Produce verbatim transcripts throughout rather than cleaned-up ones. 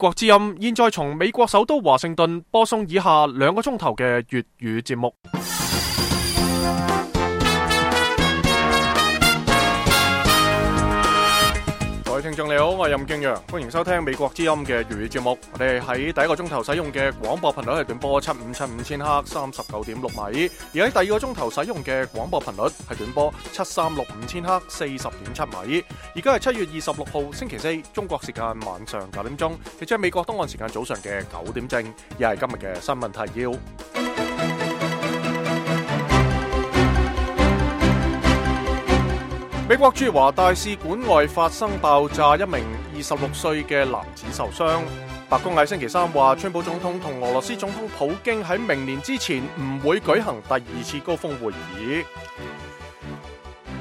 國之音現在從美國首都華盛頓播送以下兩個鐘頭嘅粵語節目。各位聽眾你好，我係任敬陽，歡迎收聽美國之音嘅粵語節目。我哋喺第一個鐘頭使用嘅廣播頻率係短波七五七五千赫三十九點六米，而喺第二個鐘頭使用嘅廣播頻率係短波七三六五千赫四十點七米。而家係七月二十六號星期四，中國時間晚上九點鐘，亦即係美國東岸時間早上嘅九點正，又係今日嘅新聞提要。美國駐華大使館外發生爆炸，一名二十六歲嘅男子受傷。白宮喺星期三話，川普總統同俄羅斯總統普京喺明年之前唔會舉行第二次高峰會議。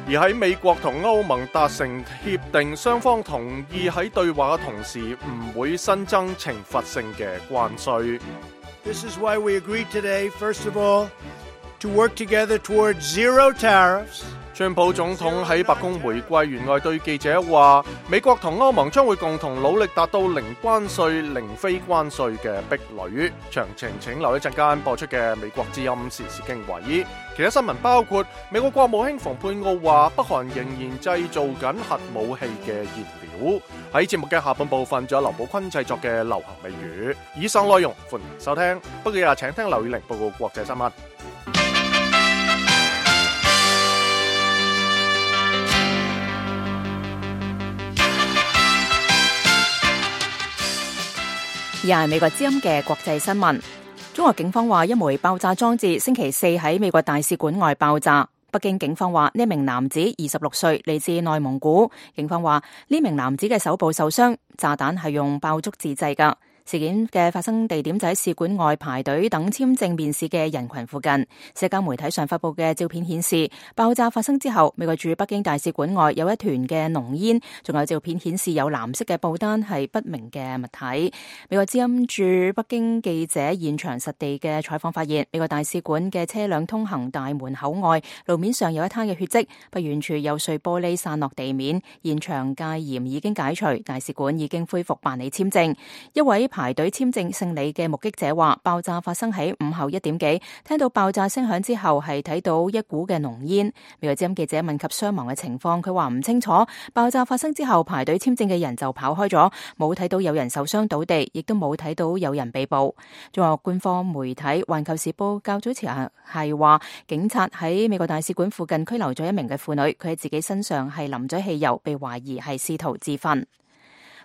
而喺美國同歐盟達成協定，雙方同意喺對話嘅同時唔會新增懲罰性嘅關稅。This is why we agreed today, first of all, to work together towards zero tariffs. 川普總統喺白宮回歸員外對記者話，美國同歐盟將會共同努力達到零關稅、零非關稅嘅壁壘。詳情請留一陣間播出嘅美國之音時事經緯。其他新聞包括美國國務卿蓬佩奧話，北韓仍然製造緊核武器嘅燃料。喺節目嘅下半部分，仲有劉寶坤製作嘅流行美語。以上內容歡迎收聽。不過日請聽劉以玲報告國際新聞。而係美國之音嘅國際新聞。中國警方話，一枚爆炸裝置星期四喺美國大使館外爆炸。北京警方話，呢名男子二十六歲，嚟自內蒙古。警方話，呢名男子嘅手部受傷，炸彈係用爆竹自製㗎。事件嘅發生地點就喺使館外排隊等簽證面試嘅人群附近。社交媒體上發布嘅照片顯示，爆炸發生之後，美國駐北京大使館外有一團嘅濃煙，仲有照片顯示有藍色嘅布單係不明嘅物體。美國之音駐北京記者現場實地嘅採訪發現，美國大使館嘅車輛通行大門口外路面上有一灘嘅血跡，不遠處有碎玻璃散落地面。現場戒嚴已經解除，大使館已經恢復辦理簽證。一位排隊簽證勝利嘅目擊者話，爆炸發生喺午後一點幾，聽到爆炸聲響之後係睇到一股嘅濃煙。美國之音記者問及傷亡嘅情況，佢話唔清楚。爆炸發生之後，排隊簽證嘅人就跑開咗，冇睇到有人受傷倒地，亦都冇睇到有人被捕。中國官方媒體《環球時報》較早前係話，警察喺美國大使館附近拘留咗一名嘅婦女，佢喺自己身上係淋咗汽油，被懷疑係試圖自焚。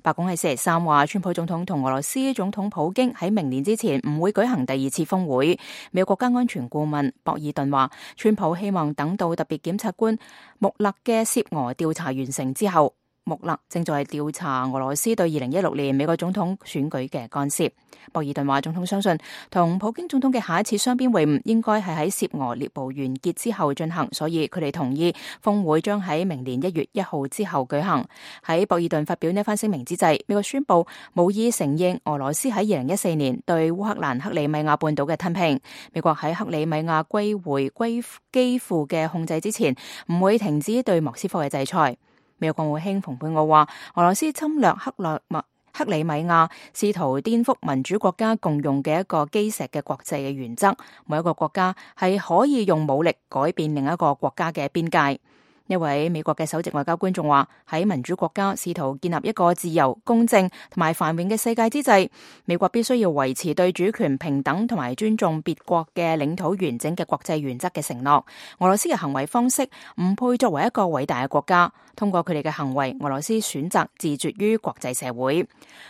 白宮喺星期三話，川普總統同俄羅斯總統普京喺明年之前唔會舉行第二次峰會。美國國家安全顧問博爾頓話，川普希望等到特別檢察官穆勒嘅涉俄調查完成之後，穆勒正在調查俄羅斯對二零一六年美國總統選舉嘅干涉。博爾頓話，總統相信同普京總統嘅下一次雙邊會晤應該係喺涉俄獵捕完結之後進行，所以佢哋同意峰會將喺明年一月一號之後舉行。喺博爾頓發表呢番聲明之際，美國宣布無意承認俄羅斯喺二零一四年對烏克蘭克里米亞半島嘅吞併。美國喺克里米亞歸回歸基輔嘅控制之前，唔會停止對莫斯科嘅制裁。美國國務卿蓬佩奧話，俄羅斯侵略克略麥克里米亞，試圖顛覆民主國家共用嘅一個基石嘅國際嘅原則，每一個國家係可以用武力改變另一個國家嘅邊界。一位美國嘅首席外交官仲話，喺民主國家試圖建立一個自由、公正同埋繁榮嘅世界之際，美國必須要維持對主權、平等同埋尊重別國嘅領土完整嘅國際原則嘅承諾。俄羅斯嘅行為方式唔配作為一個偉大嘅國家，通過佢哋嘅行為，俄羅斯選擇自絕於國際社會。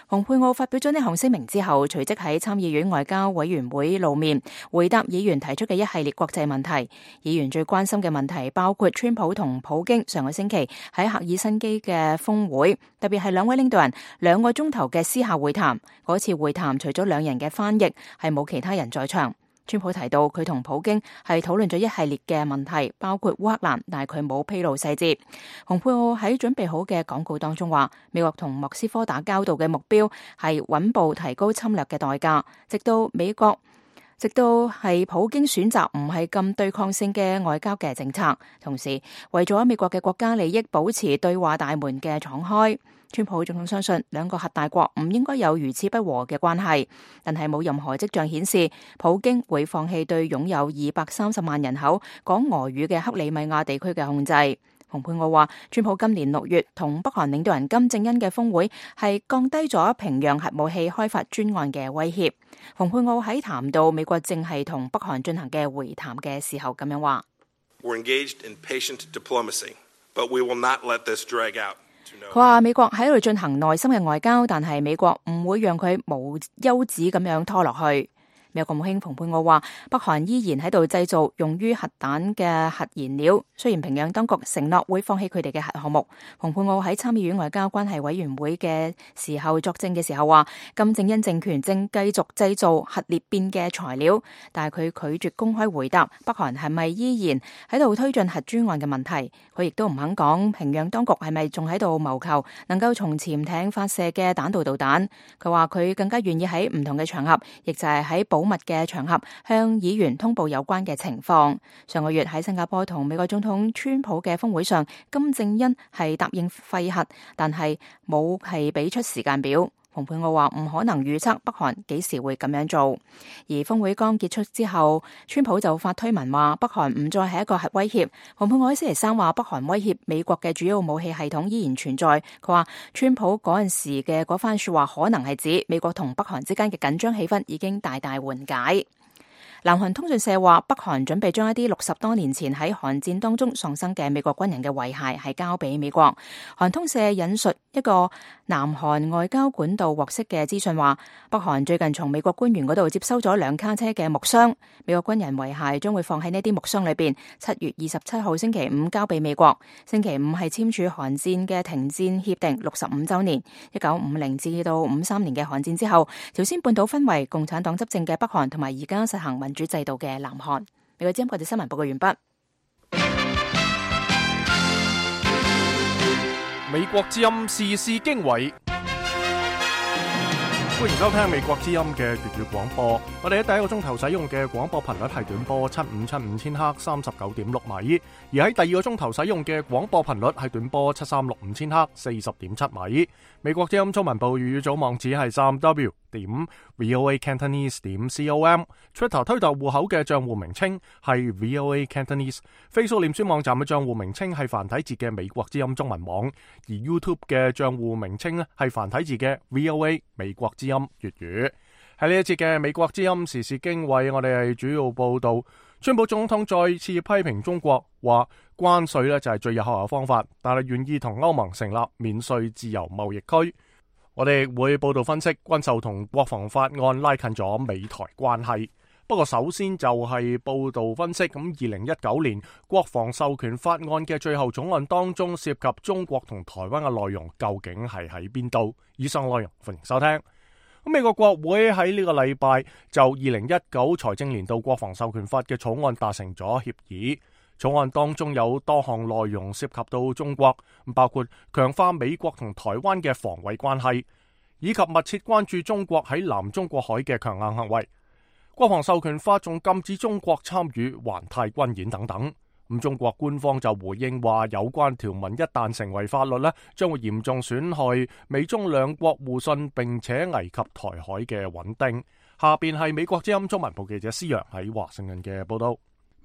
蓬佩奧發表咗呢項聲明之後，隨即喺參議院外交委員會露面，回答議員提出嘅一系列國際問題。議員最關心嘅問題包括川普同普京上個星期喺赫爾辛基嘅峰會，特別係兩位領導人兩個鐘頭嘅私下會談。嗰次會談除咗兩人嘅翻譯，係冇其他人在場。川普提到佢同普京係討論咗一系列嘅問題，包括烏克蘭，但係佢冇披露細節。蓬佩奧喺準備好嘅講告當中話，美國同莫斯科打交道嘅目標係穩步提高侵略嘅代價，直到美國直到係普京選擇唔係咁對抗性嘅外交嘅政策，同時為咗美國嘅國家利益保持對話大門嘅敞開。川普總統相信兩個核大國唔應該有如此不和嘅關係，但係冇任何跡象顯示普京會放棄對擁有二百三十萬人口講俄語嘅克里米亞地區嘅控制。蓬佩奧話，川普今年六月同北韓領導人金正恩嘅峰會係降低咗平壤核武器開發專案嘅威脅。蓬佩奧喺談到美國正係同北韓進行嘅會談嘅時候咁樣話。We're engaged in patient diplomacy, but we will not let this drag out. 佢話美國喺度進行耐心嘅外交，但係美國唔會讓佢無休止咁樣拖落去。美國國務卿蓬佩奧話，北韓依然喺度製造用於核彈嘅核燃料，雖然平壤當局承諾會放棄佢哋嘅核項目。蓬佩奧喺參議院外交關係委員會嘅時候作證嘅時候話，金正恩政權正繼續製造核裂變嘅材料，但係佢拒絕公開回答北韓係咪依然喺度推進核專案嘅問題。佢亦都唔肯講平壤當局係咪仲喺度謀求能夠從潛艇發射嘅彈道導彈。佢話佢更加願意喺唔同嘅場合，亦就係喺保密嘅場合向議員通報有關嘅情況。上個月喺新加坡同美國總統川普嘅峰會上，金正恩係答應廢核，但係冇係俾出時間表。蓬佩奧話唔可能預測北韓幾時會咁樣做。而峰會剛結束之後，川普就發推文話北韓唔再係一個核威脅。蓬佩奧喺星期三話北韓威脅美國嘅主要武器系統依然存在。佢話川普嗰陣時嘅嗰番說話可能係指美國同北韓之間嘅緊張氣氛已經大大緩解。南韓通訊社話，北韓準備將一啲六十多年前喺韓戰當中喪生嘅美國軍人嘅遺骸係交俾美國。韓通社引述一個南韓外交管道獲悉嘅資訊話，北韓最近從美國官員嗰度接收咗兩卡車嘅木箱，美國軍人遺骸將會放喺呢啲木箱裏邊，七月二十七號星期五交俾美國。星期五係簽署韓戰嘅停戰協定六十五週年。一九五零至到五三年嘅韓戰之後，朝鮮半島分為共產黨執政嘅北韓同埋而家實行民主制度嘅南韓。美國之音國際新聞報告完畢。美國之音時事經緯，歡迎收聽美國之音嘅粵語廣播。我哋喺第一個鐘頭使用嘅廣播頻率係短波七五七五千赫三十九點六米，而喺第二個鐘頭使用嘅廣播頻率係短波七三六五千赫四十點七米。美國之音中文部粵語組網址係三 w 點 voa cantonese 點 com，Twitter 推特戶口嘅賬戶名稱係 voa cantonese，Facebook 臉書網站嘅賬戶名稱係繁體字嘅美國之音中文網，而 YouTube 嘅賬戶名稱咧係繁體字嘅 voa 美國之音粵語。喺呢一節嘅美國之音時事經緯，我哋係主要報道川普總統再次批評中國，話關稅咧就係最有效嘅方法，但係願意同歐盟成立免稅自由貿易區。我哋會報道分析軍售同國防法案拉近咗美台關係。不過首先就係報道分析，咁二零一九年國防授權法案嘅最後草案當中涉及中國同台灣嘅內容究竟係喺邊度？以上內容歡迎收聽。咁美國國會喺呢個禮拜就二零一九財政年度國防授權法嘅草案達成咗協議。草案當中有多項內容涉及到中國，包括強化美國同台灣嘅防衛關係，以及密切關注中國喺南中國海嘅強硬行為。國防授權法仲禁止中國參與環太軍演等等。咁中國官方就回應話，有關條文一旦成為法律呢，將會嚴重損害美中兩國互信，並且危及台海嘅穩定。下邊係美國之音中文部記者施洋喺華盛頓嘅報道。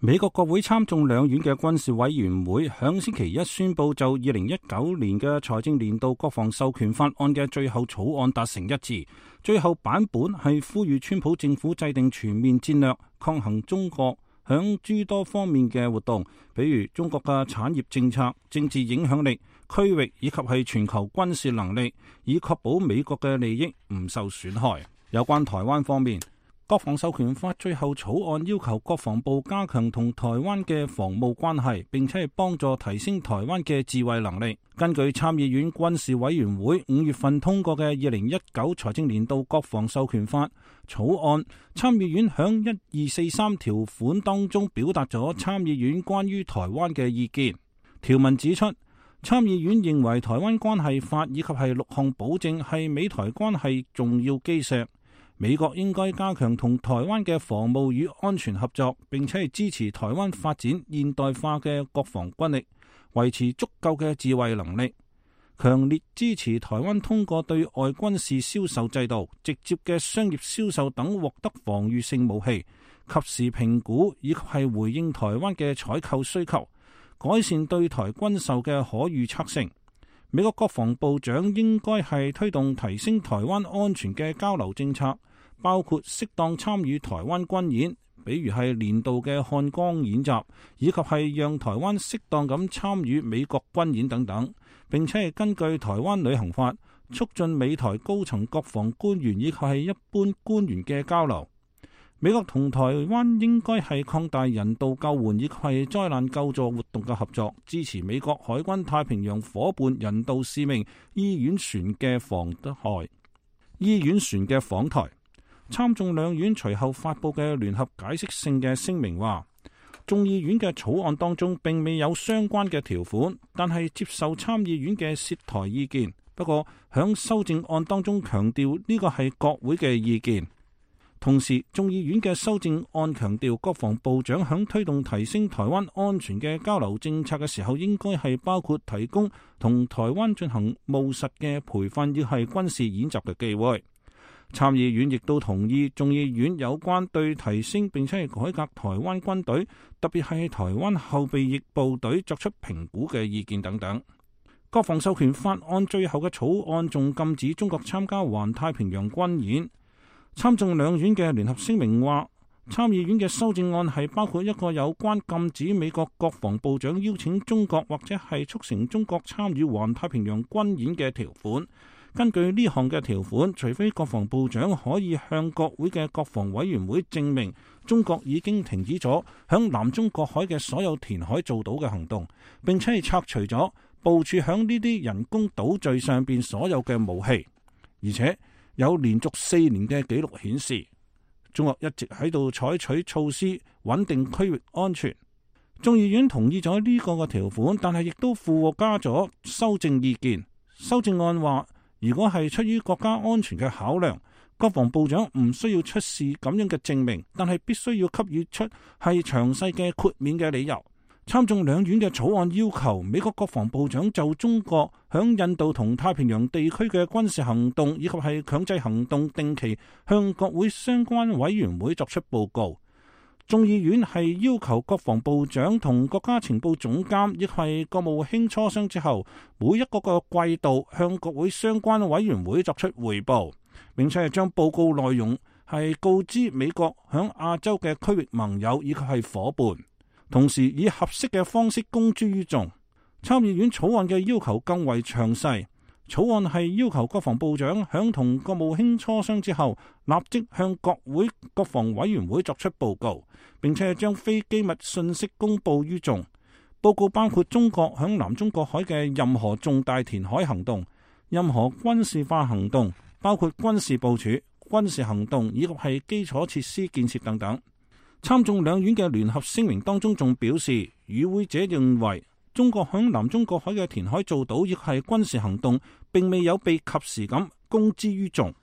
美國國會參眾兩院嘅軍事委員會響星期一宣布，就二零一九年嘅財政年度國防授權法案嘅最後草案達成一致。最後版本係呼籲川普政府制定全面戰略，抗衡中國響諸多方面嘅活動，比如中國嘅產業政策、政治影響力、區域以及係全球軍事能力，以確保美國嘅利益唔受損害。有關台灣方面，國防授權法最後草案要求國防部加強同台灣嘅防務關係，並且係幫助提升台灣嘅自衛能力。根據參議院軍事委員會五月份通過嘅二零一九財政年度國防授權法草案，參議院響一二四三條款當中表達咗參議院關於台灣嘅意見。條文指出，參議院認為台灣關係法以及係六項保證係美台關係重要基石。美國應該加強同台灣嘅防務與安全合作，並且係支持台灣發展現代化嘅國防軍力，維持足夠嘅自衛能力。強烈支持台灣通過對外軍事銷售制度、直接嘅商業銷售等獲得防禦性武器，及時評估以及係回應台灣嘅採購需求，改善對台軍售嘅可預測性。美國國防部長應該係推動提升台灣安全嘅交流政策，包括適當參與台灣軍演，比如係年度嘅漢光演習，以及係讓台灣適當咁參與美國軍演等等。並且係根據台灣旅行法，促進美台高層國防官員以及係一般官員嘅交流。美國同台灣應該係擴大人道救援以及係災難救助活動嘅合作，支持美國海軍太平洋夥伴人道使命醫院船嘅訪台。醫院船嘅訪台。參眾兩院隨後發佈嘅聯合解釋性嘅聲明話，眾議院嘅草案當中並未有相關嘅條款，但係接受參議院嘅涉台意見。不過響修正案當中強調呢個係國會嘅意見。同時，眾議院嘅修正案強調，國防部長響推動提升台灣安全嘅交流政策嘅時候，應該係包括提供同台灣進行務實嘅培訓，亦係軍事演習嘅機會。參議院亦都同意眾議院有關對提升並且係改革台灣軍隊，特別係台灣後備役部隊作出評估嘅意見等等。國防授權法案最後嘅草案仲禁止中國參加環太平洋軍演。參眾兩院嘅聯合聲明話，參議院嘅修正案係包括一個有關禁止美國國防部長邀請中國或者係促成中國參與環太平洋軍演嘅條款。根據呢項嘅條款，除非國防部長可以向國會嘅國防委員會證明中國已經停止咗響南中國海嘅所有填海造島嘅行動，並且係拆除咗部署響呢啲人工島嶼上邊所有嘅武器，而且有連續四年嘅紀錄顯示，中國一直喺度採取措施穩定區域安全。眾議院同意咗呢個嘅條款，但係亦都附加咗修正意見。修正案話，如果係出於國家安全嘅考量，國防部長唔需要出示咁樣嘅證明，但係必須要給予出係詳細嘅豁免嘅理由。參眾兩院嘅草案要求美國國防部長就中國響印度同太平洋地區嘅軍事行動以及係強制行動，定期向國會相關委員會作出報告。眾議院係要求國防部長同國家情報總監亦係國務卿磋商之後，每一個個季度向國會相關委員會作出匯報，並且係將報告內容係告知美國響亞洲嘅區域盟友以及係夥伴，同時以合適嘅方式公諸於眾。參議院草案嘅要求更為詳細。草案係要求國防部長響同國務卿磋商之後，立即向國會國防委員會作出報告，並且將非機密信息公佈於眾。報告包括中國響南中國海嘅任何重大填海行動、任何軍事化行動，包括軍事部署、軍事行動以及係基礎設施建設等等。參眾兩院嘅聯合聲明當中仲表示，與會者認為中國響南中國海嘅填海造島亦係軍事行動，並未有被及時咁公之於眾。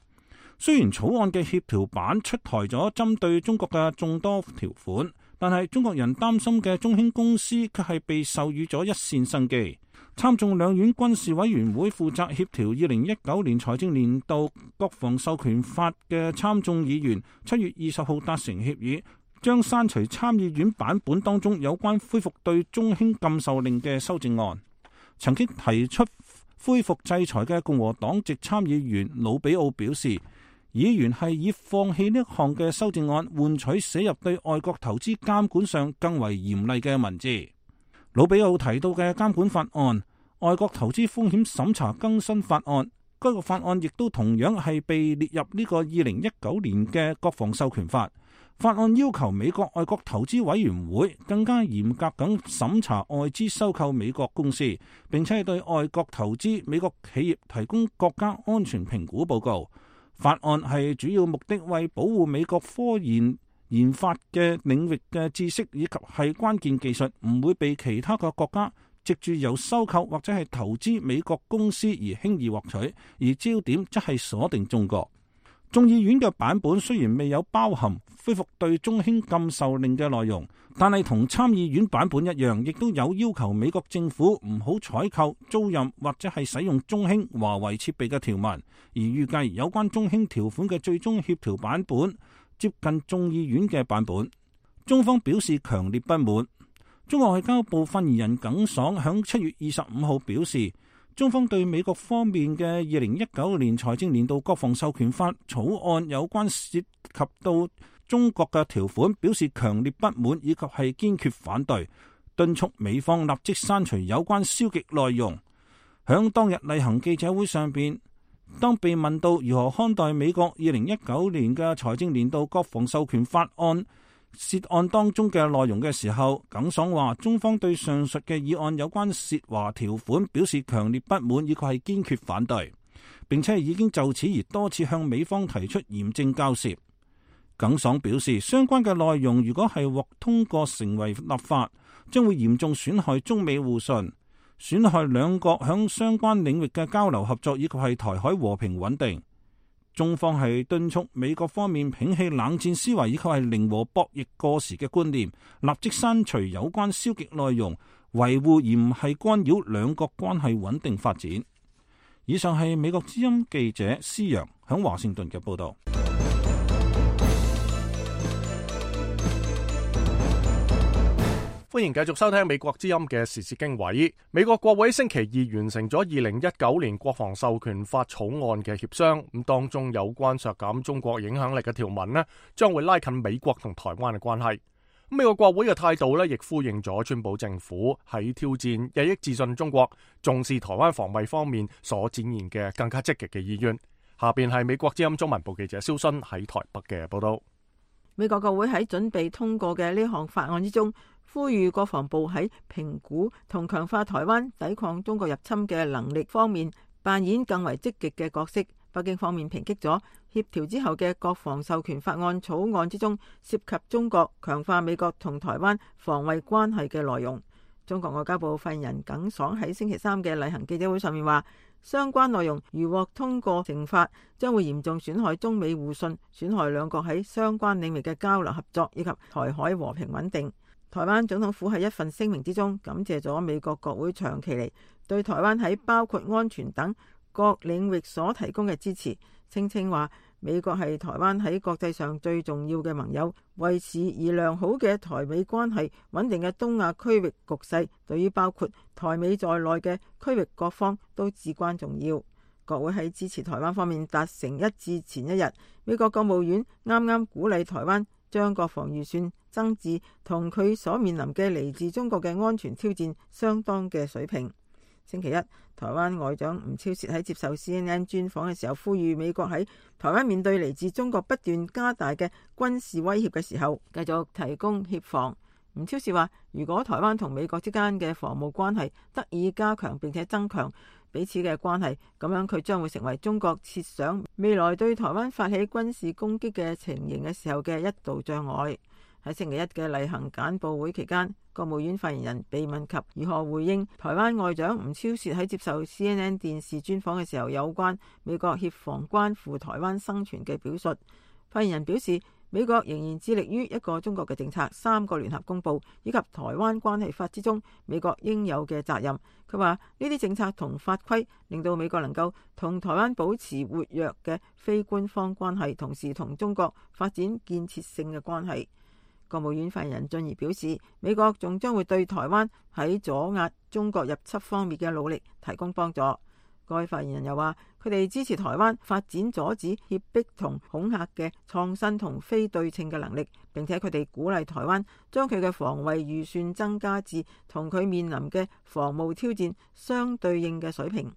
雖然草案嘅協調版出台咗針對中國嘅眾多條款，但係中國人擔心嘅中興公司卻係被授予咗一線生機。參眾兩院軍事委員會負責協調二零一九年財政年度國防授權法嘅參眾議員七月二十號達成協議，將刪除參議院版本當中有關恢復對中興禁售令嘅修正案。曾經提出恢復制裁嘅共和黨籍參議員魯比奧表示，議員係以放棄呢項嘅修正案，換取寫入對外國投資監管上更為嚴厲嘅文字。魯比奧提到嘅監管法案、外國投資風險審查更新法案，該個法案亦都同樣係被列入呢個二零一九年嘅國防授權法。法案要求美國外國投資委員會更加嚴格咁審查外資收購美國公司，並且係對外國投資美國企業提供國家安全評估報告。法案係主要目的為保護美國科研研發嘅領域嘅知識以及係關鍵技術唔會被其他嘅國家藉住由收購或者係投資美國公司而輕易獲取，而焦點則係鎖定中國。眾議院嘅版本雖然未有包含恢復對中興禁售令嘅內容，但係同參議院版本一樣，亦都有要求美國政府唔好採購、租賃或者係使用中興、華為設備嘅條文。而預計有關中興條款嘅最終協調版本接近眾議院嘅版本。中方表示強烈不滿。中國外交部發言人耿爽響七月二十五號表示，中方對美國方面嘅二零一九年財政年度國防授權法草案有關涉及到中國嘅條款表示強烈不滿，以及係堅決反對，敦促美方立即刪除有關消極內容。響當日例行記者會上邊，當被問到如何看待美國二零一九年嘅財政年度國防授權法案涉案當中嘅內容嘅時候，耿爽話中方對上述嘅議案有關涉華條款表示強烈不滿，以及係堅決反對，並且已經就此而多次向美方提出嚴正交涉。耿爽表示，相關嘅內容如果係獲通過成為立法，將會嚴重損害中美互信，損害兩國響相關領域嘅交流合作，以及係台海和平穩定。中方係敦促美國方面摒棄冷戰思維，以及係零和博弈過時嘅觀念，立即刪除有關消極內容，維護而唔係干擾兩國關係穩定發展。以上係美國之音記者施陽響華盛頓嘅報道。歡迎繼續收聽美國之音嘅時事經緯。美國國會星期二完成咗二零一九年國防授權法草案嘅協商，咁當中有關削減中國影響力嘅條文呢，將會拉近美國同台灣嘅關係。美國國會嘅態度呢，亦呼應咗川普政府喺挑戰日益自信中國、重視台灣防衛方面所展現嘅更加積極嘅意願。下邊係美國之音中文部記者蕭勳喺台北嘅報道。美國國會喺準備通過嘅呢項法案之中，呼籲國防部喺評估同強化台灣抵抗中國入侵嘅能力方面扮演更為積極嘅角色。北京方面抨擊咗協調之後嘅國防授權法案草案之中涉及中國強化美國同台灣防衛關係嘅內容。中國外交部發言人耿爽喺星期三嘅例行記者會上面話，相關內容如獲通過成法，將會嚴重損害中美互信，損害兩國喺相關領域嘅交流合作以及台海和平穩定。台灣總統府喺一份聲明之中感謝咗美國國會長期嚟對台灣喺包括安全等各領域所提供嘅支持，聲稱話美國係台灣喺國際上最重要嘅盟友，維持而良好嘅台美關係、穩定嘅東亞區域局勢，對於包括台美在內嘅區域各方都至關重要。國會喺支持台灣方面達成一致前一日，美國國務院啱啱鼓勵台灣將國防預算增至同佢所面臨嘅嚟自中國嘅安全挑戰相當嘅水平。星期一，台灣外長吳釗燮喺接受 C N N 專訪嘅時候，呼籲美國喺台灣面對嚟自中國不斷加大嘅軍事威脅嘅時候，繼續提供協防。吳釗燮話，如果台灣同美國之間嘅防務關係得以加強並且增強彼此嘅關係，咁樣佢將會成為中國設想未來對台灣發起軍事攻擊嘅情形嘅時候嘅一道障礙。喺星期一嘅例行簡報會期間，國務院發言人被問及如何回應台灣外長吳釗燮喺接受 C N N 電視專訪嘅時候有關美國協防關乎台灣生存嘅表述，發言人表示，美國仍然致力於一個中國嘅政策、三個聯合公報以及台灣關係法之中美國應有嘅責任。佢話呢啲政策同法規令到美國能夠同台灣保持活躍嘅非官方關係，同時同中國發展建設性嘅關係。國務院發言人進而表示，美國仲將會對台灣喺阻壓中國入侵方面嘅努力提供幫助。該發言人又話，佢哋支持台灣發展阻止脅迫同恐嚇嘅創新同非對稱嘅能力，並且佢哋鼓勵台灣將佢嘅防衛預算增加至同佢面臨嘅防務挑戰相對應嘅水平。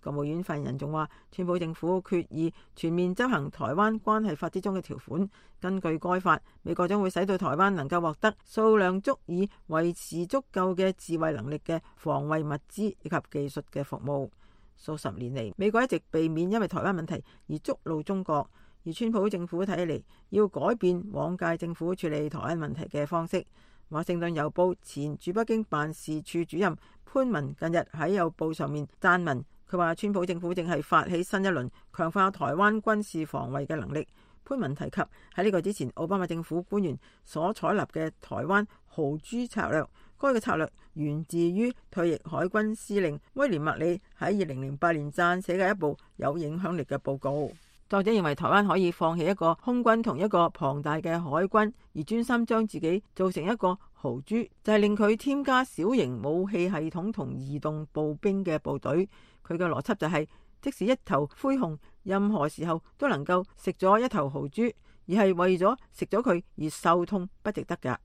國務院發言人仲話，川普政府決意全面執行台灣關係法之中嘅條款。根據該法，美國將會使到台灣能夠獲得數量足以維持足夠嘅自衛能力嘅防衛物資以及技術嘅服務。數十年嚟，美國一直避免因為台灣問題而觸怒中國，而川普政府睇嚟要改變往屆政府處理台灣問題嘅方式。華盛頓郵報前駐北京辦事處主任潘文近日喺郵報上面撰文，佢話川普政府正係發起新一輪強化台灣軍事防衛嘅能力。潘文提及喺呢個之前，奧巴馬政府官員所採納嘅台灣豪豬策略，該個策略源自於退役海軍司令威廉麥理喺二零零八年撰寫嘅一部有影響力嘅報告。作者認為台灣可以放棄一個空軍同一個龐大嘅海軍，而專心將自己做成一個豪豬，就係令佢添加小型武器系統同移動步兵嘅部隊。佢嘅邏輯就係，即使一頭灰熊任何時候都能夠食咗一頭豪豬，而係為咗食咗佢而受痛不值得㗎。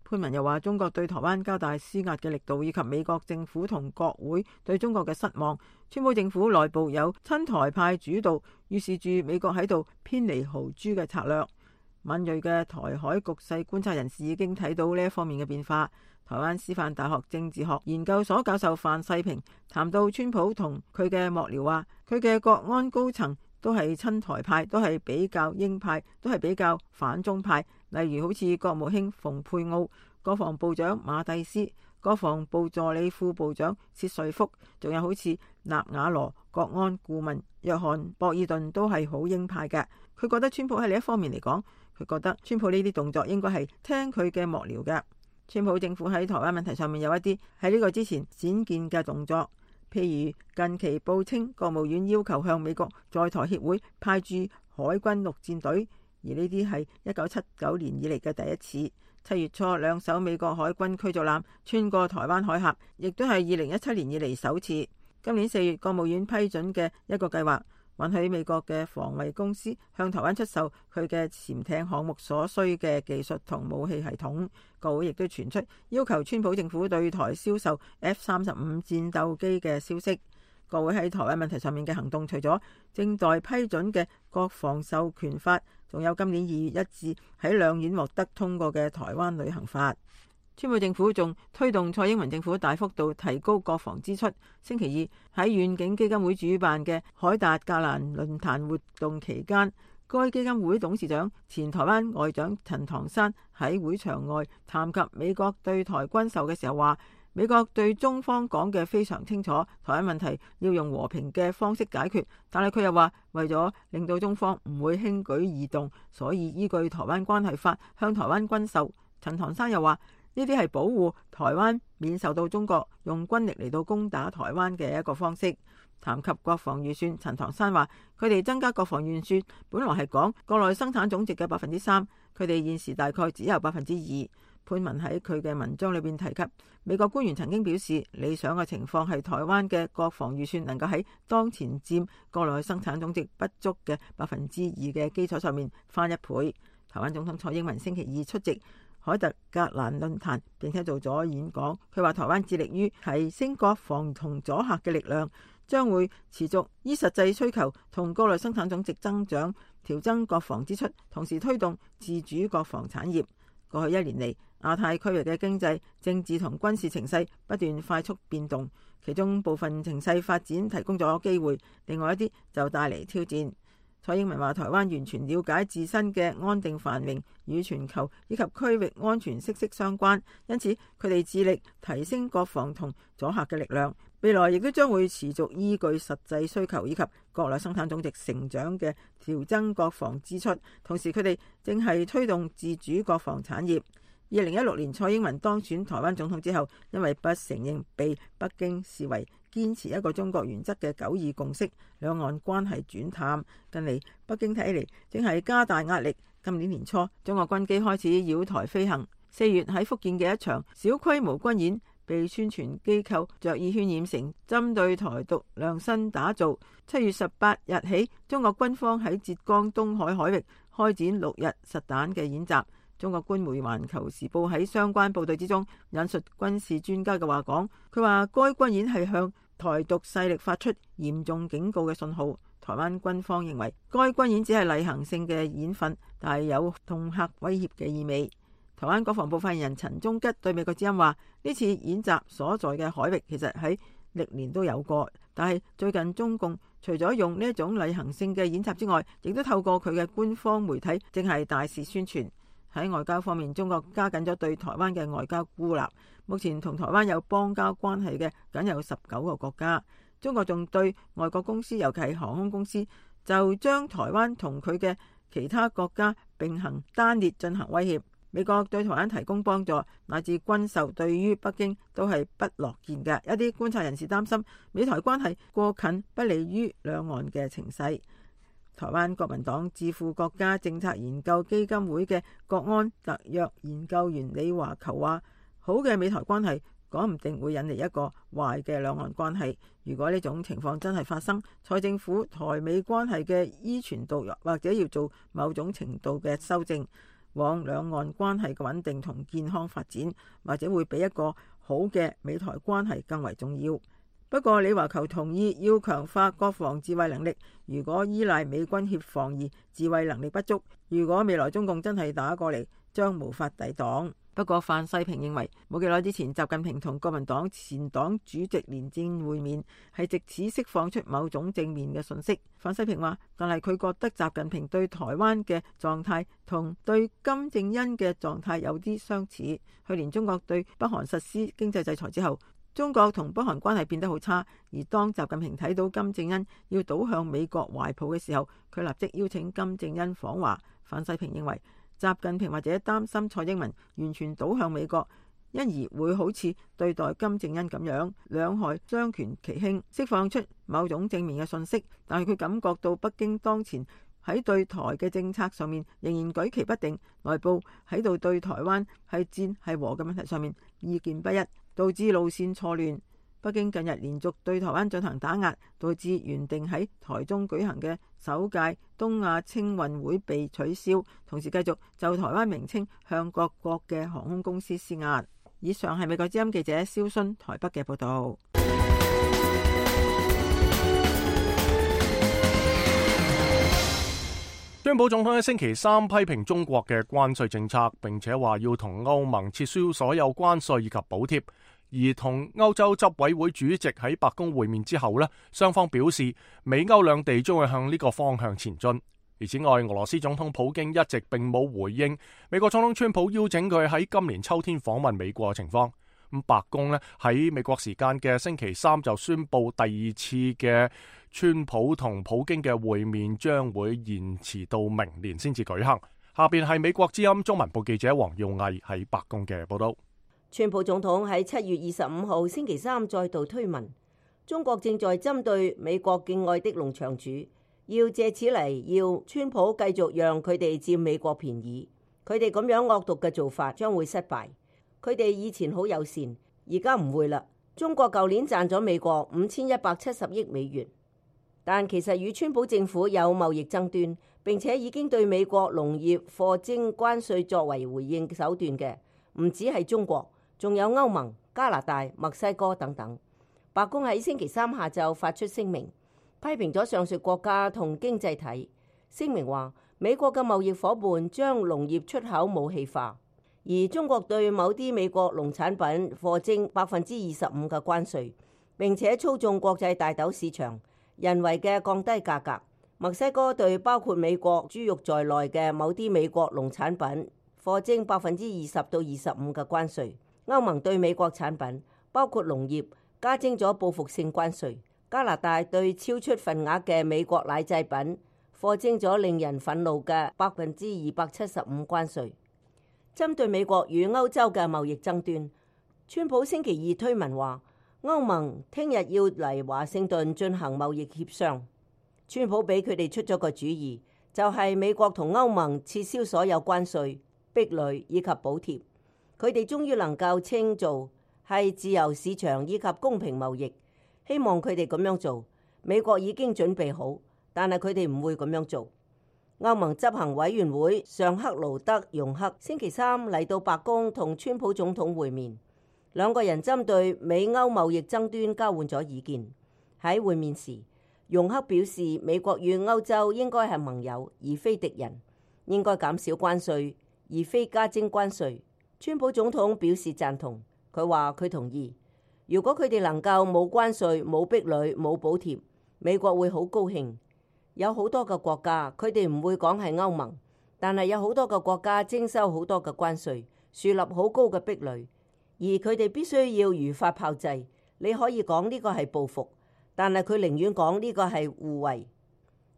潘文又話，中國對台灣加大施壓嘅力度，以及美國政府同國會對中國嘅失望，川普政府內部有親台派主導，預示住美國喺度偏離豪豬嘅策略。敏銳嘅台海局勢觀察人士已經睇到呢一方面嘅變化。台灣師範大學政治學研究所教授范世平談到川普同佢嘅幕僚話，佢嘅國安高層都係親台派，都係比較鷹派，都係比較反中派。例如好似國務卿蓬佩奧、國防部長馬蒂斯、國防部助理副部長薛瑞福，仲有好似納瓦羅國安顧問約翰博爾頓都係好鷹派嘅。佢覺得川普喺另一方面嚟講，佢覺得川普呢啲動作應該係聽佢嘅幕僚嘅。川普政府喺台灣問題上面有一啲喺呢個之前鮮見嘅動作，譬如近期報稱國務院要求向美國在台協會派駐海軍陸戰隊，而呢啲係一九七九年以嚟嘅第一次。七月初兩艘美國海軍驅逐艦穿過台灣海峽，亦都係二零一七年以嚟首次。今年四月國務院批准嘅一個計劃，允許美國嘅防衛公司向台灣出售佢嘅潛艇項目所需嘅技術同武器系統。國會亦都傳出要求川普政府對台銷售 F 三十五戰鬥機嘅消息。國會喺台灣問題上面嘅行動，除咗正待批准嘅國防授權法，仲有今年二月一致喺兩院獲得通過嘅台灣旅行法。川普政府仲推動蔡英文政府大幅度提高國防支出。星期二喺遠景基金會主辦嘅海達格蘭論壇活動期間，該基金會董事長前台灣外長陳唐山喺會場外談及美國對台軍售嘅時候話，美國對中方講嘅非常清楚，台灣問題要用和平嘅方式解決，但係佢又話為咗令到中方唔會輕舉易動，所以依據台灣關係法向台灣軍售。陳唐山又話呢啲係保護台灣免受到中國用軍力嚟到攻打台灣嘅一個方式。談及國防預算，陳唐山話佢哋增加國防預算本來係講國內生產總值嘅百分之三，佢哋現時大概只有百分之二。潘文喺佢嘅文章裏邊提及，美國官員曾經表示，理想嘅情況係台灣嘅國防預算能夠喺當前佔國內生產總值不足嘅百分之二嘅基礎上面翻一倍。台灣總統蔡英文星期二出席海特格蘭論壇，並且做咗演講。佢話台灣致力於提升國防同阻嚇嘅力量，將會持續依實際需求同國內生產總值增長調增國防支出，同時推動自主國防產業。過去一年嚟，亞太區域嘅經濟、政治同軍事情勢不斷快速變動，其中部分情勢發展提供咗機會，另外一啲就帶嚟挑戰。蔡英文話台灣完全了解自身嘅安定繁榮與全球以及區域安全息息相關，因此佢哋致力提升國防同阻嚇嘅力量，未來亦都將會持續依據實際需求以及國內生產總值成長嘅調增國防支出，同時佢哋正係推動自主國防產業。二零一六年蔡英文當選台灣總統之後，因為不承認被北京視為堅持一個中國原則嘅九二共識，兩岸關係轉淡。近嚟北京睇嚟正係加大壓力。今年年初，中國軍機開始繞台飛行。四月喺福建嘅一場小規模軍演，被宣傳機構着意渲染成針對台獨量身打造。七月十八日起，中國軍方喺浙江東海海域開展六日實彈嘅演習。中國官媒《環球時報》喺相關報導之中引述軍事專家嘅話講，佢話該軍演係向台獨勢力發出嚴重警告嘅信號。台灣軍方認為該軍演只係例行性嘅演訓，但係有恫嚇威脅嘅意味。台灣國防部發言人陳忠吉對美國之音話：呢次演習所在嘅海域其實喺歷年都有過，但係最近中共除咗用呢一種例行性嘅演習之外，亦都透過佢嘅官方媒體正係大肆宣傳。喺外交方面，中國加緊咗對台灣嘅外交孤立。目前同台灣有邦交關係嘅僅有十九個國家。中國仲對外國公司，尤其係航空公司，就將台灣同佢嘅其他國家並行單列進行威脅。美國對台灣提供幫助乃至軍售，對於北京都係不樂見嘅。一啲觀察人士擔心美台關係過近不利於兩岸嘅情勢。台灣國民黨智庫國家政策研究基金會嘅國安特約研究員李華球話：好嘅美台關係講唔定會引嚟一個壞嘅兩岸關係。如果呢種情況真係發生，蔡政府台美關係嘅依存度或者要做某種程度嘅修正，往兩岸關係嘅穩定同健康發展，或者會比一個好嘅美台關係更為重要。不過李華球同意要強化國防自衛能力，如果依賴美軍協防而自衛能力不足，如果未來中共真係打過嚟，將無法抵擋。不過范世平認為，冇幾耐之前習近平同國民黨前黨主席連戰會面，係藉此釋放出某種正面嘅訊息。范世平話，但係佢覺得習近平對台灣嘅狀態同對金正恩嘅狀態有啲相似。去年中國對北韓實施經濟制裁之後，中國同北韓關係變得好差，而當習近平睇到金正恩要倒向美國懷抱嘅時候，佢立即邀請金正恩訪華。范世平認為，習近平或者擔心蔡英文完全倒向美國，因而會好似對待金正恩咁樣，兩害相權其輕，釋放出某種正面嘅信息。但係佢感覺到北京當前喺對台嘅政策上面仍然舉棋不定，內部喺度對台灣係戰係和嘅問題上面意見不一，導致路線錯亂。北京近日連續對台灣進行打壓，導致原定喺台中舉行嘅首屆東亞青運會被取消，同時繼續就台灣名稱向各國嘅航空公司施壓。以上係美國之音記者蕭薰台北嘅報道。川普總統喺星期三批評中國嘅關稅政策，並且話要同歐盟撤銷所有關稅以及補貼。而同歐洲執委會主席喺白宮會面之後呢，雙方表示美歐兩地將會向呢個方向前進。而此外，俄羅斯總統普京一直並冇回應美國總統川普邀請佢喺今年秋天訪問美國嘅情況。咁白宮呢喺美國時間嘅星期三就宣布第二次嘅川普同普京嘅會面將會延遲到明年先至舉行。下邊係美國之音中文部記者黃耀毅喺白宮嘅報道。川普總統喺七月二十五號星期三再度推文，中國正在針對美國敬愛的農場主，要借此嚟要川普繼續讓佢哋佔美國便宜。佢哋咁樣惡毒嘅做法將會失敗。佢哋以前好友善，而家唔會啦。中國舊年賺咗美國五千一百七十億美元，但其實與川普政府有貿易爭端，並且已經對美國農業課徵關稅作為回應手段嘅，唔止係中國。仲有歐盟、加拿大、墨西哥等等。白宮喺星期三下晝發出聲明，批評咗上述國家同經濟體。聲明話，美國嘅貿易夥伴將農業出口武器化，而中國對某啲美國農產品課徵百分之二十五嘅關稅，並且操縱國際大豆市場，人為嘅降低價格。墨西哥對包括美國豬肉在內嘅某啲美國農產品課徵百分之二十到二十五嘅關稅。歐盟對美國產品，包括農業，加徵咗報復性關稅。加拿大對超出份額嘅美國奶製品，課徵咗令人憤怒嘅百分之二百七十五關稅。針對美國與歐洲嘅貿易爭端，川普星期二推文話，歐盟聽日要嚟華盛頓進行貿易協商。川普俾佢哋出咗個主意，就係、是、美國同歐盟撤銷所有關稅、壁壘以及補貼。佢哋終於能夠稱做係自由市場以及公平貿易，希望佢哋咁樣做。美國已經準備好，但係佢哋唔會咁樣做。歐盟執行委員會尚克勞德容克星期三嚟到白宮同川普總統會面，兩個人針對美歐貿易爭端交換咗意見。喺會面時，容克表示美國與歐洲應該係盟友而非敵人，應該減少關稅而非加徵關稅。川普總統表示贊同，佢話佢同意，如果佢哋能夠冇關稅、冇壁壘、冇補貼，美國會好高興。有好多個國家，佢哋唔會講係歐盟，但係有好多個國家徵收好多嘅關稅，樹立好高嘅壁壘，而佢哋必須要如法炮製。你可以講呢個係報復，但係佢寧願講呢個係互惠。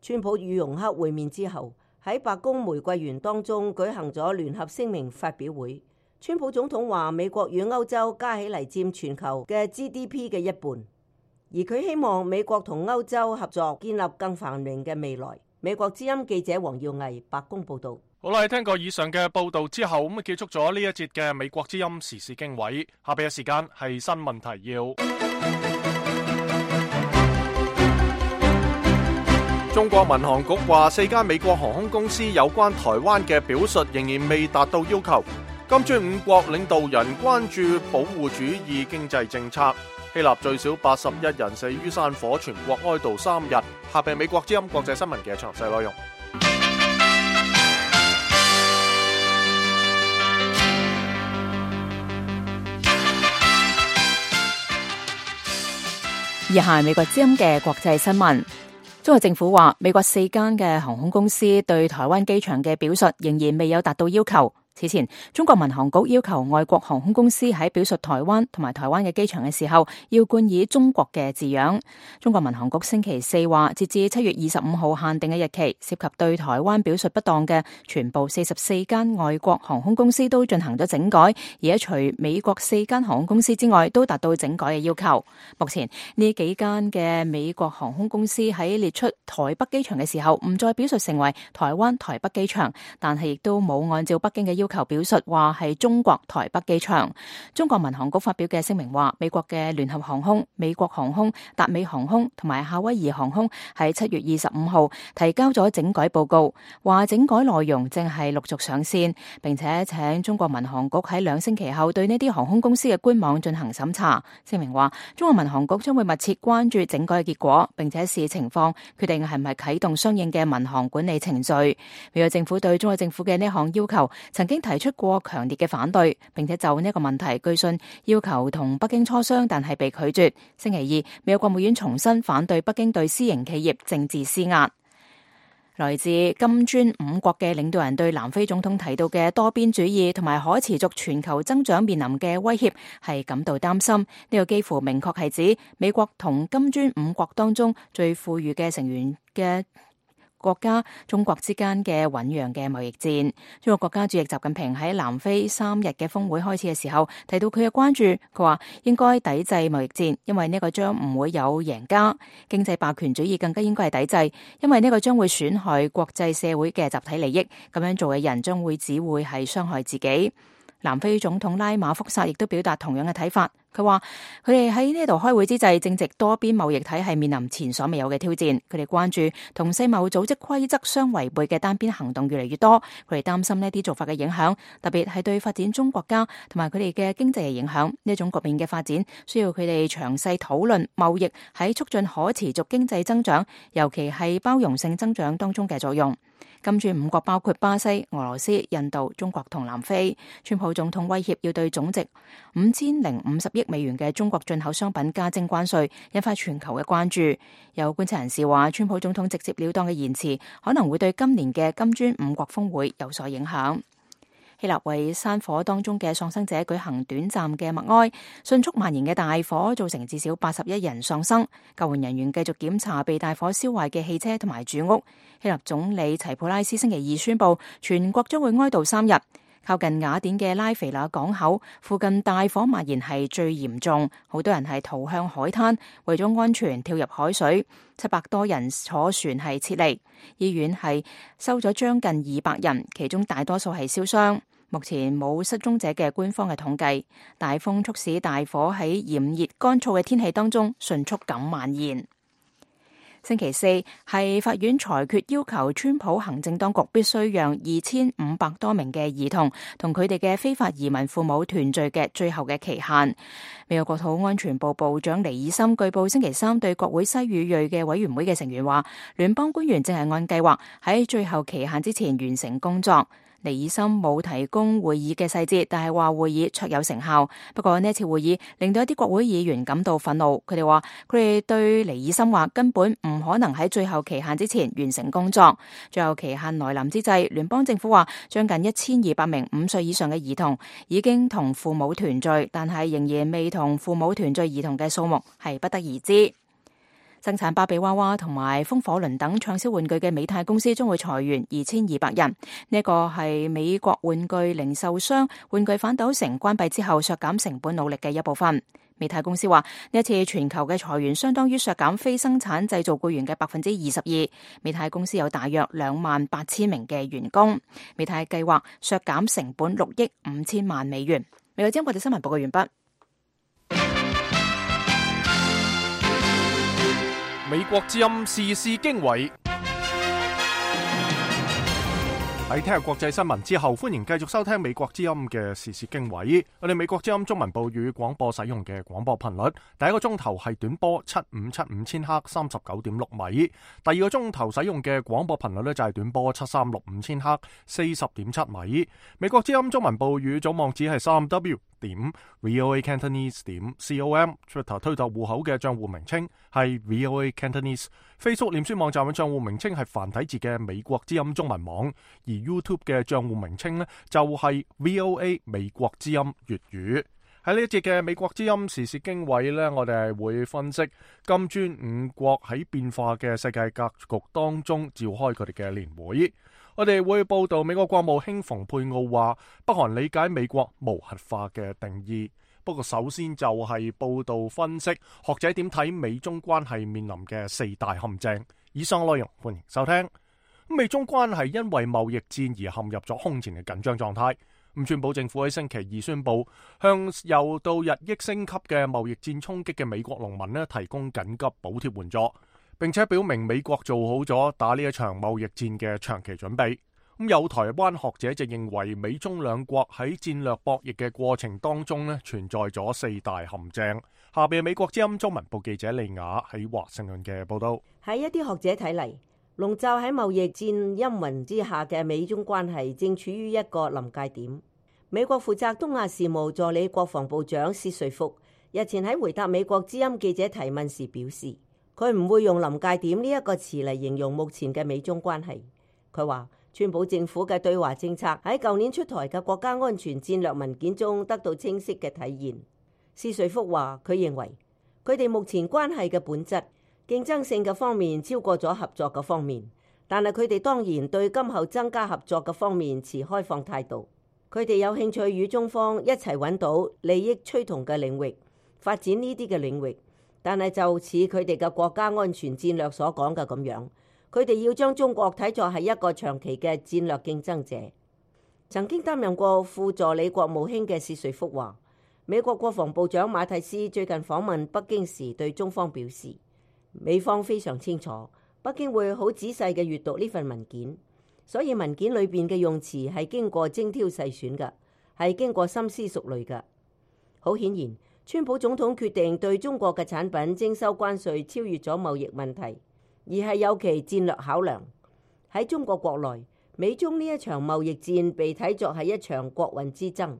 川普與容克會面之後，喺白宮玫瑰園當中舉行咗聯合聲明發表會。川普總統話美國與歐洲加起嚟佔全球嘅 G D P 嘅一半，而佢希望美國同歐洲合作建立更繁榮嘅未來。美國之音記者黃耀毅白宮報道。好啦，聽過以上嘅報道之後，咁啊結束咗呢一節嘅美國之音時事經緯。下邊嘅時間係新聞提要。中國民航局話，四間美國航空公司有關台灣嘅表述仍然未達到要求。金磚五國領導人關注保護主義經濟政策。希臘最少八十一人死於山火，全國哀悼三日。下邊美國之音國際新聞嘅詳細內容。以下係美國之音嘅國際新聞。中國政府話，美國四間嘅航空公司對台灣機場嘅表述仍然未有達到要求。此前，中國民航局要求外國航空公司喺表述台灣同埋台灣嘅機場嘅時候，要冠以中國嘅字樣。中國民航局星期四話，截至七月二十五號限定嘅日期，涉及對台灣表述不當嘅全部四十四間外國航空公司都進行咗整改，而且除美國四間航空公司之外，都達到整改嘅要求。目前呢幾間嘅美國航空公司喺列出台北機場嘅時候，唔再表述成為台灣台北機場，但係亦都冇按照北京嘅要求要求表述話係中國台北機場。中國民航局發表嘅聲明話，美國嘅聯合航空、美國航空、達美航空同埋夏威夷航空喺七月二十五號提交咗整改報告，話整改內容正係陸續上線，並且請中國民航局喺兩星期後對呢啲航空公司嘅官網進行審查。聲明話，中國民航局將會密切關注整改嘅結果，並且視情況決定係唔係啟動相應嘅民航管理程序。美國政府對中國政府嘅呢項要求曾經提出過強烈嘅反對，並且就呢一個問題據信要求同北京磋商，但係被拒絕。星期二，美國國務院重新反對北京對私營企業政治施壓。來自金磚五國嘅領導人對南非總統提到嘅多邊主義同埋可持續全球增長面臨嘅威脅係感到擔心。呢個幾乎明確係指美國同金磚五國當中最富裕嘅成員嘅國家中國之間嘅醞釀嘅貿易戰。中國國家主席習近平喺南非三日嘅峰會開始嘅時候提到佢嘅關注，佢話應該抵制貿易戰，因為呢個將唔會有贏家。經濟霸權主義更加應該係抵制，因為呢個將會損害國際社會嘅集體利益，咁樣做嘅人將會只會係傷害自己。南非總統拉馬福薩亦都表達同樣嘅睇法，佢話佢哋喺呢度開會之際，正值多邊貿易體系面臨前所未有嘅挑戰。佢哋關注同世貿組織規則相違背嘅單邊行動越嚟越多，佢哋擔心呢啲做法嘅影響，特別係對發展中國家同埋佢哋嘅經濟嘅影響。呢種局面嘅發展需要佢哋詳細討論貿易喺促進可持續經濟增長，尤其係包容性增長當中嘅作用。金磚五國包括巴西、俄羅斯、印度、中國同南非。川普總統威脅要對總值五千零五十億美元嘅中國進口商品加徵關稅，引發全球嘅關注。有觀察人士話，川普總統直接了當嘅言辭可能會對今年嘅金磚五國峰會有所影響。希臘為山火當中嘅喪生者舉行短暫嘅默哀，迅速蔓延嘅大火造成至少八十一人喪生。救援人員繼續檢查被大火燒壞嘅汽車同埋住屋。希臘總理齊普拉斯星期二宣布，全國將會哀悼三日。靠近雅典嘅拉菲那港口附近大火蔓延係最嚴重，好多人係逃向海灘，為咗安全跳入海水。七百多人坐船係撤離，醫院係收咗將近二百人，其中大多數係燒傷。目前冇失蹤者嘅官方嘅統計。大風促使大火喺炎熱乾燥嘅天氣當中迅速咁蔓延。星期四係法院裁決要求川普行政當局必須讓二千五百多名嘅兒童同佢哋嘅非法移民父母團聚嘅最後嘅期限。美國國土安全部部長尼爾森據報星期三對國會西語裔嘅委員會嘅成員話，聯邦官員正係按計劃喺最後期限之前完成工作。尼爾森冇提供會議嘅細節，但係話會議卓有成效。不過呢次會議令到一啲國會議員感到憤怒，佢哋話佢哋對尼爾森話根本唔可能喺最後期限之前完成工作。最後期限來臨之際，聯邦政府話將近一千二百名五歲以上嘅兒童已經同父母團聚，但係仍然未同父母團聚兒童嘅數目係不得而知。生產芭比娃娃同埋風火輪等暢銷玩具嘅美泰公司將會裁員二千二百人。呢個係美國玩具零售商玩具反斗城關閉之後削減成本努力嘅一部分。美泰公司話呢一次全球嘅裁員相當於削減非生產製造僱員嘅百分之二十二。美泰公司有大約兩萬八千名嘅員工。美泰計劃削減成本六億五千萬美元。美國之音國際新聞報告完畢。美國之音時事經緯。喺聽日國際新聞之後，歡迎繼續收聽美國之音嘅時事經緯。我哋美國之音中文部語廣播使用嘅廣播頻率，第一個鐘頭係短波七五七五千赫三十九點六米，第二個鐘頭使用嘅廣播頻率呢就係短波七三六五千赫四十點七米。美國之音中文部語總網址係三 W 點 VOA Cantonese 點 com，Twitter 推特戶口嘅賬戶名稱係 VOA Cantonese，Facebook 臉書網站嘅賬戶名稱係繁體字嘅美國之音中文網，而 YouTube 嘅賬戶名稱呢就係 V O A 美國之音粵語。喺呢一節嘅美國之音時事經緯呢，我哋係會分析金磚五國喺變化嘅世界格局當中召開佢哋嘅年會。我哋會報道美國國務卿蓬佩奧話北韓理解美國無核化嘅定義。不過首先就係報道分析學者點睇美中關係面臨嘅四大陷阱。以上內容歡迎收聽。美中關係因為貿易戰而陷入咗空前嘅緊張狀態。咁川普政府喺星期二宣布向又到日益升級嘅貿易戰衝擊嘅美國農民呢提供緊急補貼援助，並且表明美國做好咗打呢一場貿易戰嘅長期準備。咁有台灣學者就認為美中兩國喺戰略博弈嘅過程當中呢存在咗四大陷阱。下邊美國之音中文部記者利雅喺華盛頓嘅報道。喺一啲學者睇嚟，籠罩喺貿易戰陰雲之下嘅美中關係正處於一個臨界點。美國負責東亞事務助理國防部長薛瑞福日前喺回答美國之音記者提問時表示，佢唔會用臨界點呢一個詞嚟形容目前嘅美中關係。佢話川普政府嘅對華政策喺舊年出台嘅國家安全戰略文件中得到清晰嘅體現。薛瑞福話佢認為佢哋目前關係嘅本質競爭性嘅方面超過咗合作嘅方面，但係佢哋當然對今後增加合作嘅方面持開放態度。佢哋有興趣與中方一齊揾到利益趨同嘅領域，發展呢啲嘅領域。但係就似佢哋嘅國家安全戰略所講嘅咁樣，佢哋要將中國睇作係一個長期嘅戰略競爭者。曾經擔任過副助理國務卿嘅薛瑞福話，美國國防部長馬蒂斯最近訪問北京時對中方表示，美方非常清楚北京會好仔細嘅閱讀呢份文件，所以文件裏邊嘅用詞係經過精挑細選嘅，係經過深思熟慮嘅。好顯然，川普總統決定對中國嘅產品徵收關稅超越咗貿易問題，而係有其戰略考量。喺中國國內，美中呢一場貿易戰被睇作係一場國運之爭。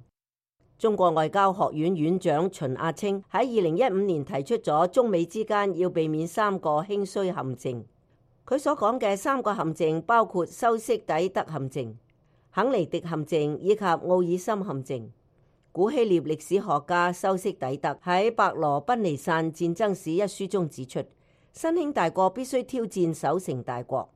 中國外交學院院長秦亞青喺二零一五年提出咗中美之間要避免三個興衰陷阱。佢所講嘅三個陷阱包括修昔底德陷阱、肯尼迪陷阱以及奧爾森陷阱。古希臘歷史學家修昔底德喺《伯羅奔尼撒戰爭史》一書中指出，新興大國必須挑戰守成大國，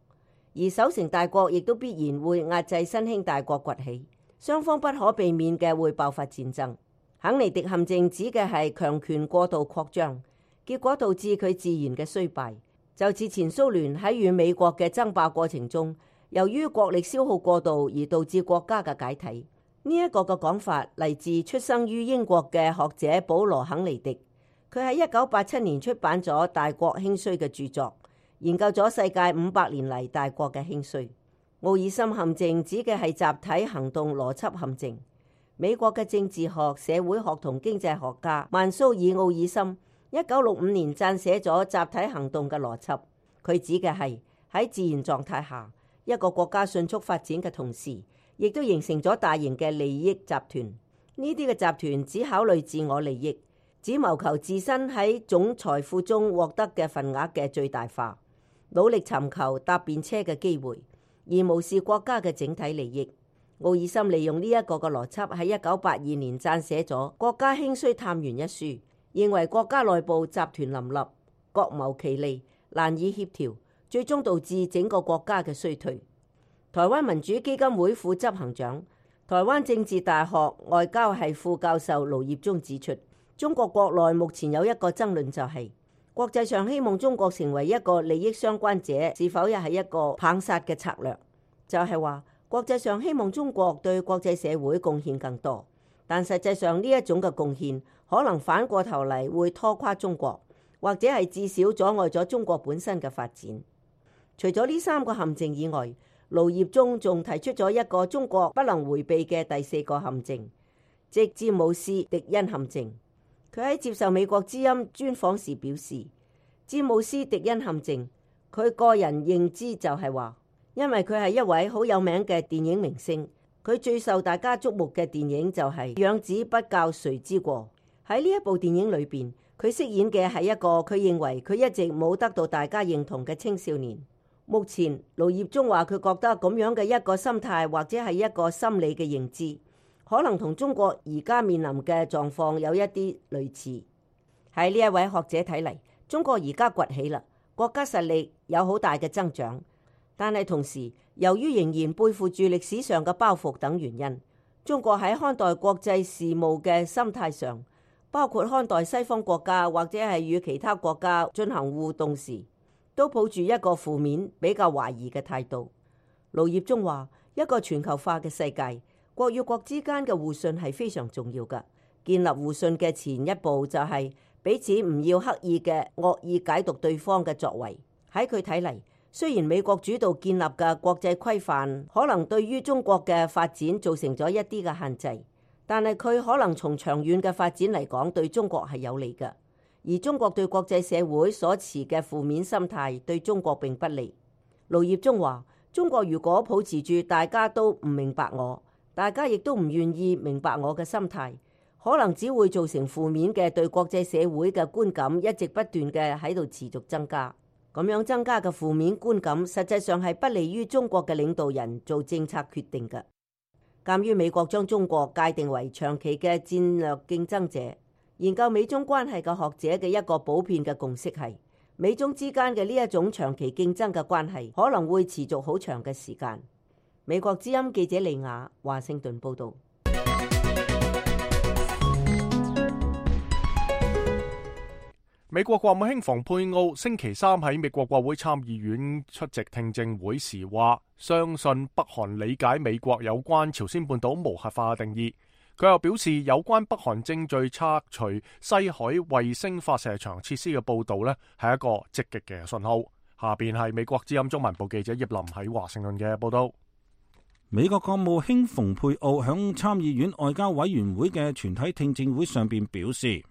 而守成大國亦都必然會壓制新興大國崛起，雙方不可避免嘅會爆發戰爭。肯尼迪陷阱指嘅係強權過度擴張，結果導致佢自然嘅衰敗，就似前蘇聯喺與美國嘅爭霸過程中，由於國力消耗過度而導致國家嘅解體。呢一個嘅講法嚟自出生於英國嘅學者保羅肯尼迪，佢喺一九八七年出版咗《大國興衰》嘅著作，研究咗世界五百年嚟大國嘅興衰。奧爾森陷阱指嘅係集體行動邏輯陷阱。美國嘅政治學、社會學同經濟學家曼蘇爾奧爾森一九六五年撰寫咗集體行動嘅邏輯，佢指嘅係喺自然狀態下，一個國家迅速發展嘅同時，亦都形成咗大型嘅利益集團。呢啲嘅集團只考慮自我利益，只謀求自身喺總財富中獲得嘅份額嘅最大化，努力尋求搭便車嘅機會，而無視國家嘅整體利益。奧爾森利用呢一個嘅邏輯喺一九八二年撰寫咗《國家興衰探源》一書，認為國家內部集團林立，各謀其利，難以協調，最終導致整個國家嘅衰退。台灣民主基金會副執行長、台灣政治大學外交系副教授盧業忠指出，中國國內目前有一個爭論，就係國際上希望中國成為一個利益相關者，是否又係一個棒殺嘅策略？就係話國際上希望中國對國際社會貢獻更多，但實際上呢一種嘅貢獻可能反過頭嚟會拖垮中國，或者係至少阻礙咗中國本身嘅發展。除咗呢三個陷阱以外，盧業忠仲提出咗一個中國不能迴避嘅第四個陷阱，即詹姆斯·迪恩陷阱。佢喺接受美國之音專訪時表示，詹姆斯·迪恩陷阱，佢個人認知就係話，因為佢係一位好有名嘅電影明星，佢最受大家矚目嘅電影就係《養子不教誰之過》。喺呢一部電影裏邊，佢飾演嘅係一個佢認為佢一直冇得到大家認同嘅青少年。目前盧業忠話，佢覺得咁樣嘅一個心態或者係一個心理嘅認知，可能同中國而家面臨嘅狀況有一啲類似。喺呢一位學者睇嚟，中國而家崛起啦，國家實力有好大嘅增長，但係同時由於仍然背負住歷史上嘅包袱等原因，中國喺看待國際事務嘅心態上，包括看待西方國家或者係與其他國家進行互動時，都抱住一個負面、比較懷疑嘅態度。盧業忠話，一個全球化嘅世界，國與國之間嘅互信係非常重要㗎。建立互信嘅前一步就係彼此唔要刻意嘅惡意解讀對方嘅作為。喺佢睇嚟，雖然美國主導建立嘅國際規範可能對於中國嘅發展造成咗一啲嘅限制，但係佢可能從長遠嘅發展嚟講對中國係有利嘅。而中國對國際社會所持嘅負面心態對中國並不利。盧業忠話，中國如果保持住大家都唔明白我，大家亦都唔願意明白我嘅心態，可能只會造成負面嘅對國際社會嘅觀感一直不斷嘅喺度持續增加。咁樣增加嘅負面觀感實際上係不利於中國嘅領導人做政策決定嘅。鑑於美國將中國界定為長期嘅戰略競爭者，研究美中關係嘅學者嘅一個普遍嘅共識係，美中之間嘅呢一種長期競爭嘅關係可能會持續好長嘅時間。美國之音記者利亞華盛頓報道。美國國務卿蓬佩奧星期三喺美國國會參議院出席聽證會時話，相信北韓理解美國有關朝鮮半島無核化嘅定義。佢又表示，有關北韓正在拆除西海衛星發射場設施嘅報導呢，係一個積極嘅信號。下邊係美國之音中文部記者葉林喺華盛頓嘅報導。美國國務卿蓬佩奧響參議院外交委員會嘅全體聽證會上邊表示，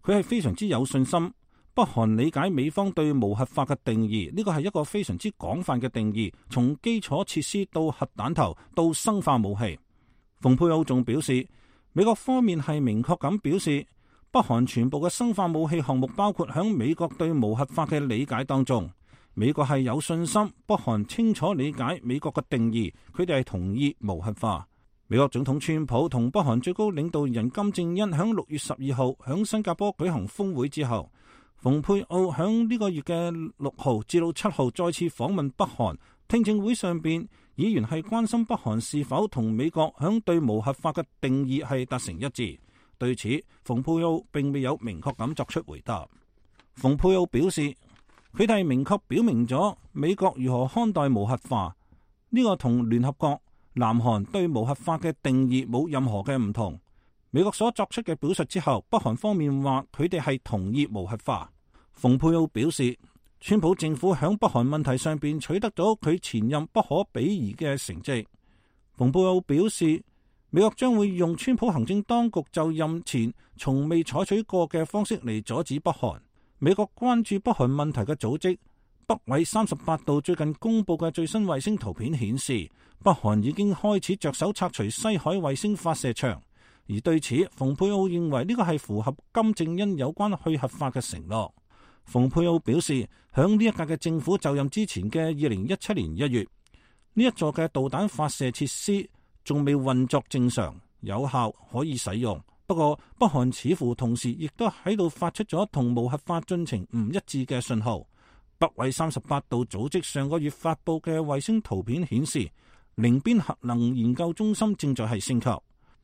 佢係非常之有信心，北韓理解美方對無核化嘅定義，呢個係一個非常之廣泛嘅定義，從基礎設施到核彈頭到生化武器。蓬佩奧仲表示，美國方面係明確咁表示，北韓全部嘅生化武器項目包括響美國對無核化嘅理解當中。美國係有信心，北韓清楚理解美國嘅定義，佢哋係同意無核化。美國總統川普同北韓最高領導人金正恩響六月十二號響新加坡舉行峰會之後，蓬佩奧響呢個月嘅六號至到七號再次訪問北韓。聽證會上邊，議員係關心北韓是否同美國響對無核化嘅定義係達成一致。對此，蓬佩奧並未有明確咁作出回答。蓬佩奧表示，佢哋明確表明咗美國如何看待無核化，呢個同聯合國、南韓對無核化嘅定義冇任何嘅唔同。美國所作出嘅表述之後，北韓方面話佢哋係同意無核化。蓬佩奧表示，川普政府響北韓問題上邊取得咗佢前任不可比擬嘅成績。蓬佩奧表示，美國將會用川普行政當局就任前從未採取過嘅方式嚟阻止北韓。美國關注北韓問題嘅組織北緯三十八度最近公布嘅最新衛星圖片顯示，北韓已經開始着手拆除西海衛星發射場。而對此，蓬佩奧認為呢個係符合金正恩有關去核化嘅承諾。蓬佩奧表示，響呢一屆嘅政府就任之前嘅二零一七年一月，呢一座嘅導彈發射設施仲未運作正常、有效可以使用。不過，北韓似乎同時亦都喺度發出咗同無核化進程唔一致嘅信號。北緯三十八度組織上個月發布嘅衛星圖片顯示，寧邊核能研究中心正在係升級。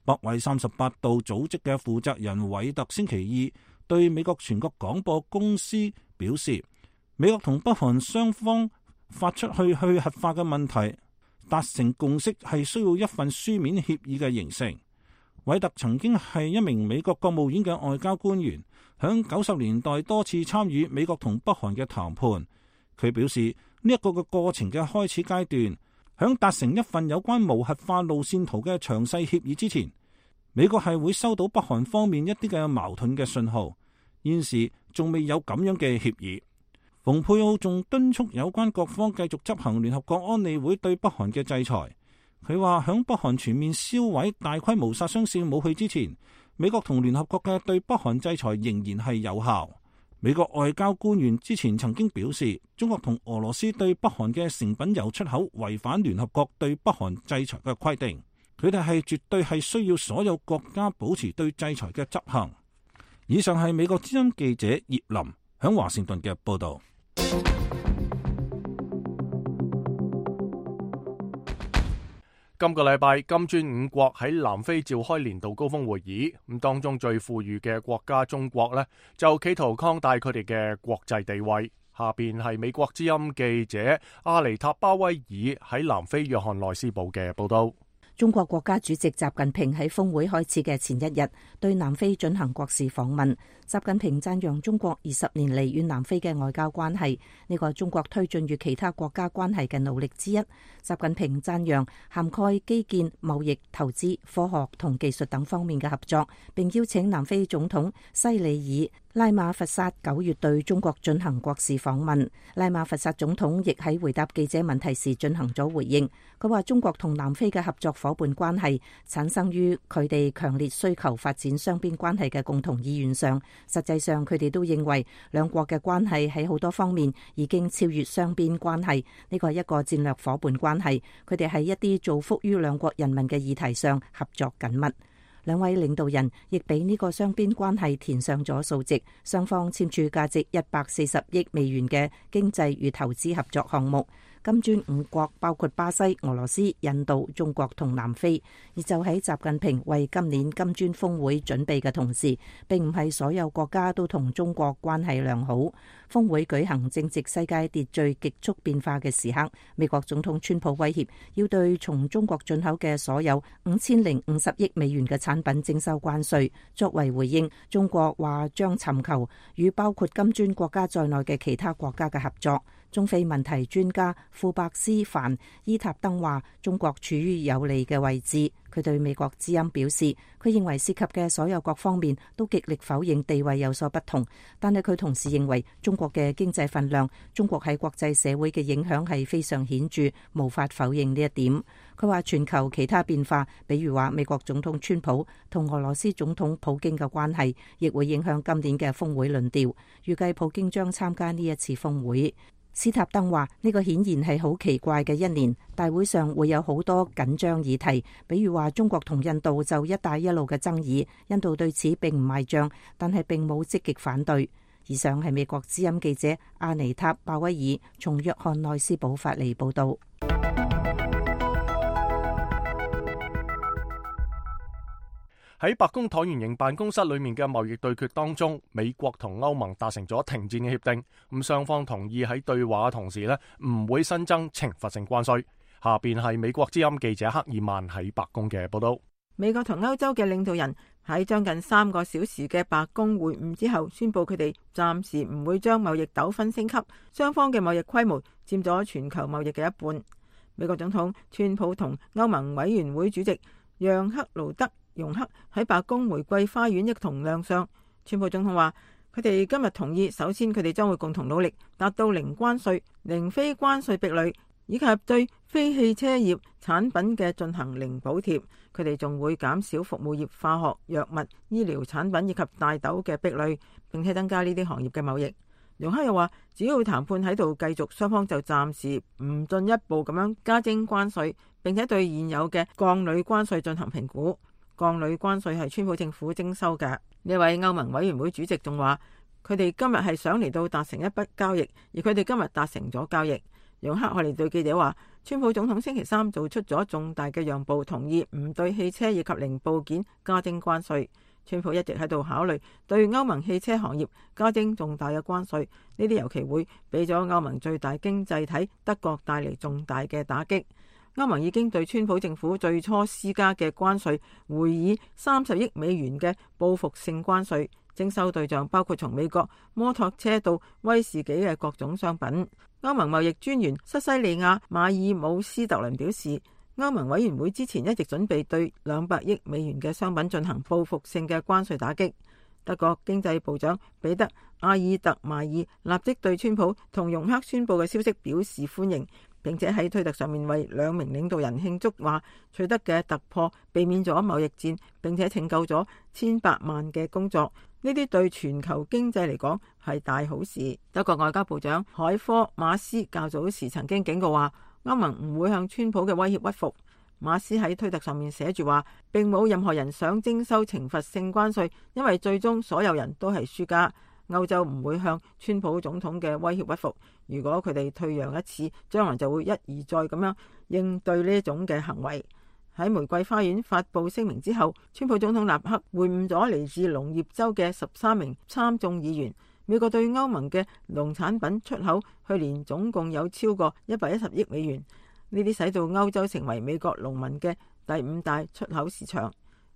北緯三十八度組織嘅負責人韋特星期二對美國全國廣播公司表示，美國同北韓雙方發出去去核化嘅問題達成共識係需要一份書面協議嘅形成。韋特曾經係一名美國國務院嘅外交官員，響九十年代多次參與美國同北韓嘅談判。佢表示呢一個嘅過程嘅開始階段，響達成一份有關無核化路線圖嘅詳細協議之前，美國係會收到北韓方面一啲嘅矛盾嘅信號。現時仲未有咁樣嘅協議。蓬佩奧仲敦促有關各方繼續執行聯合國安理會對北韓嘅制裁。佢話響北韓全面銷毀大規模殺傷性武器之前，美國同聯合國嘅對北韓制裁仍然係有效。美國外交官員之前曾經表示，中國同俄羅斯對北韓嘅成品油出口違反聯合國對北韓制裁嘅規定。佢哋係絕對係需要所有國家保持對制裁嘅執行。以上係美國之音記者葉林響華盛頓嘅報道。今個禮拜，金磚五國喺南非召開年度高峰會議，咁當中最富裕嘅國家中國呢，就企圖擴大佢哋嘅國際地位。下邊係美國之音記者阿尼塔鮑威爾喺南非約翰內斯堡嘅報道。中國國家主席習近平喺峰會開始嘅前一日對南非進行國事訪問。習近平讚揚中國二十年嚟與南非嘅外交關係，呢個係中國推進與其他國家關係嘅努力之一。習近平讚揚涵蓋基建、貿易、投資、科學同技術等方面嘅合作，並邀請南非總統西里爾拉馬佛薩九月對中國進行國事訪問。拉馬佛薩總統亦喺回答記者問題時進行咗回應。佢話中國同南非嘅合作伙伴關係產生於佢哋強烈需求發展雙邊關係嘅共同意願上。實際上，佢哋都認為兩國嘅關係喺好多方面已經超越雙邊關係，呢個係一個戰略伙伴關係。佢哋喺一啲造福於兩國人民嘅議題上合作緊密。兩位領導人亦俾呢個雙邊關係填上咗數值，雙方簽署價值一百四十億美元嘅經濟與投資合作項目。金磚五國包括巴西、俄羅斯、印度、中國同南非。而就喺習近平為今年金磚峰會準備嘅同時，並唔係所有國家都同中國關係良好。峰會舉行正值世界秩序極速變化嘅時刻，美國總統川普威脅要對從中國進口嘅所有五千零五十億美元嘅產品徵收關稅。作為回應，中國話將尋求與包括金磚國家在內嘅其他國家嘅合作。中非問題專家庫伯斯凡伊塔登話，中國處於有利嘅位置。佢對美國之音表示，佢認為涉及嘅所有各方面都極力否認地位有所不同，但係佢同時認為中國嘅經濟份量、中國喺國際社會嘅影響係非常顯著，無法否認呢一點。佢話全球其他變化，比如話美國總統川普同俄羅斯總統普京嘅關係，亦會影響今年嘅峰會論調。預計普京將參加呢一次峰會。斯塔登話：呢個顯然係好奇怪嘅一年，大會上會有好多緊張議題，比如話中國同印度就一帶一路嘅爭議，印度對此並唔賣賬，但係並冇積極反對。以上係美國之音記者阿尼塔鮑威爾從約翰內斯堡發嚟報道。喺白宮橢圓形辦公室裏面嘅貿易對決當中，美國同歐盟達成咗停戰嘅協定，咁雙方同意喺對話嘅同時呢，唔會新增懲罰性關稅。下邊係美國之音記者克爾曼喺白宮嘅報道。美國同歐洲嘅領導人喺將近三個小時嘅白宮會晤之後，宣布佢哋暫時唔會將貿易糾紛升級，雙方嘅貿易規模佔咗全球貿易嘅一半。美國總統川普同歐盟委員會主席讓克勞德容克喺白宮玫瑰花園一同亮相。川普總統話：佢哋今日同意，首先佢哋將會共同努力達到零關稅、零非關稅壁壘，以及對非汽車業產品嘅進行零補貼。佢哋仲會減少服務業、化學、藥物、醫療產品以及大豆嘅壁壘，並且增加呢啲行業嘅貿易。容克又話：只要談判喺度繼續，雙方就暫時唔進一步咁樣加徵關稅，並且對現有嘅鋼鋁關稅進行評估。鋼鋁關稅係川普政府徵收嘅。呢位歐盟委員會主席仲話，佢哋今日係想嚟到達成一筆交易，而佢哋今日達成咗交易。楊克海尼對記者話，川普總統星期三做出咗重大嘅讓步，同意唔對汽車以及零部件加徵關稅。川普一直喺度考慮對歐盟汽車行業加徵重大嘅關稅，呢啲尤其會俾咗歐盟最大經濟體德國帶嚟重大嘅打擊。歐盟已經對川普政府最初施加嘅關稅會以三十億美元嘅報復性關稅，徵收對象包括從美國摩托車到威士忌嘅各種商品。歐盟貿易專員塞西利亞馬爾姆斯特倫表示，歐盟委員會之前一直準備對兩百億美元嘅商品進行報復性嘅關稅打擊。德國經濟部長彼得阿爾特邁爾立即對川普同容克宣布嘅消息表示歡迎，並且喺推特上面為兩名領導人慶祝，話取得嘅突破避免咗貿易戰，並且拯救咗千百萬嘅工作。呢啲對全球經濟嚟講係大好事。德國外交部長海科馬斯較早時曾經警告話，歐盟唔會向川普嘅威脅屈服。馬斯喺推特上面寫住話，並冇任何人想徵收懲罰性關稅，因為最終所有人都係輸家。歐洲唔會向川普總統嘅威脅屈服。如果佢哋退讓一次，將來就會一而再咁樣應對呢種嘅行為。喺玫瑰花園發布聲明之後，川普總統立刻會晤咗嚟自農業州嘅十三名參眾議員。美國對歐盟嘅農產品出口去年總共有超過一百一十億美元，呢啲使到歐洲成為美國農民嘅第五大出口市場。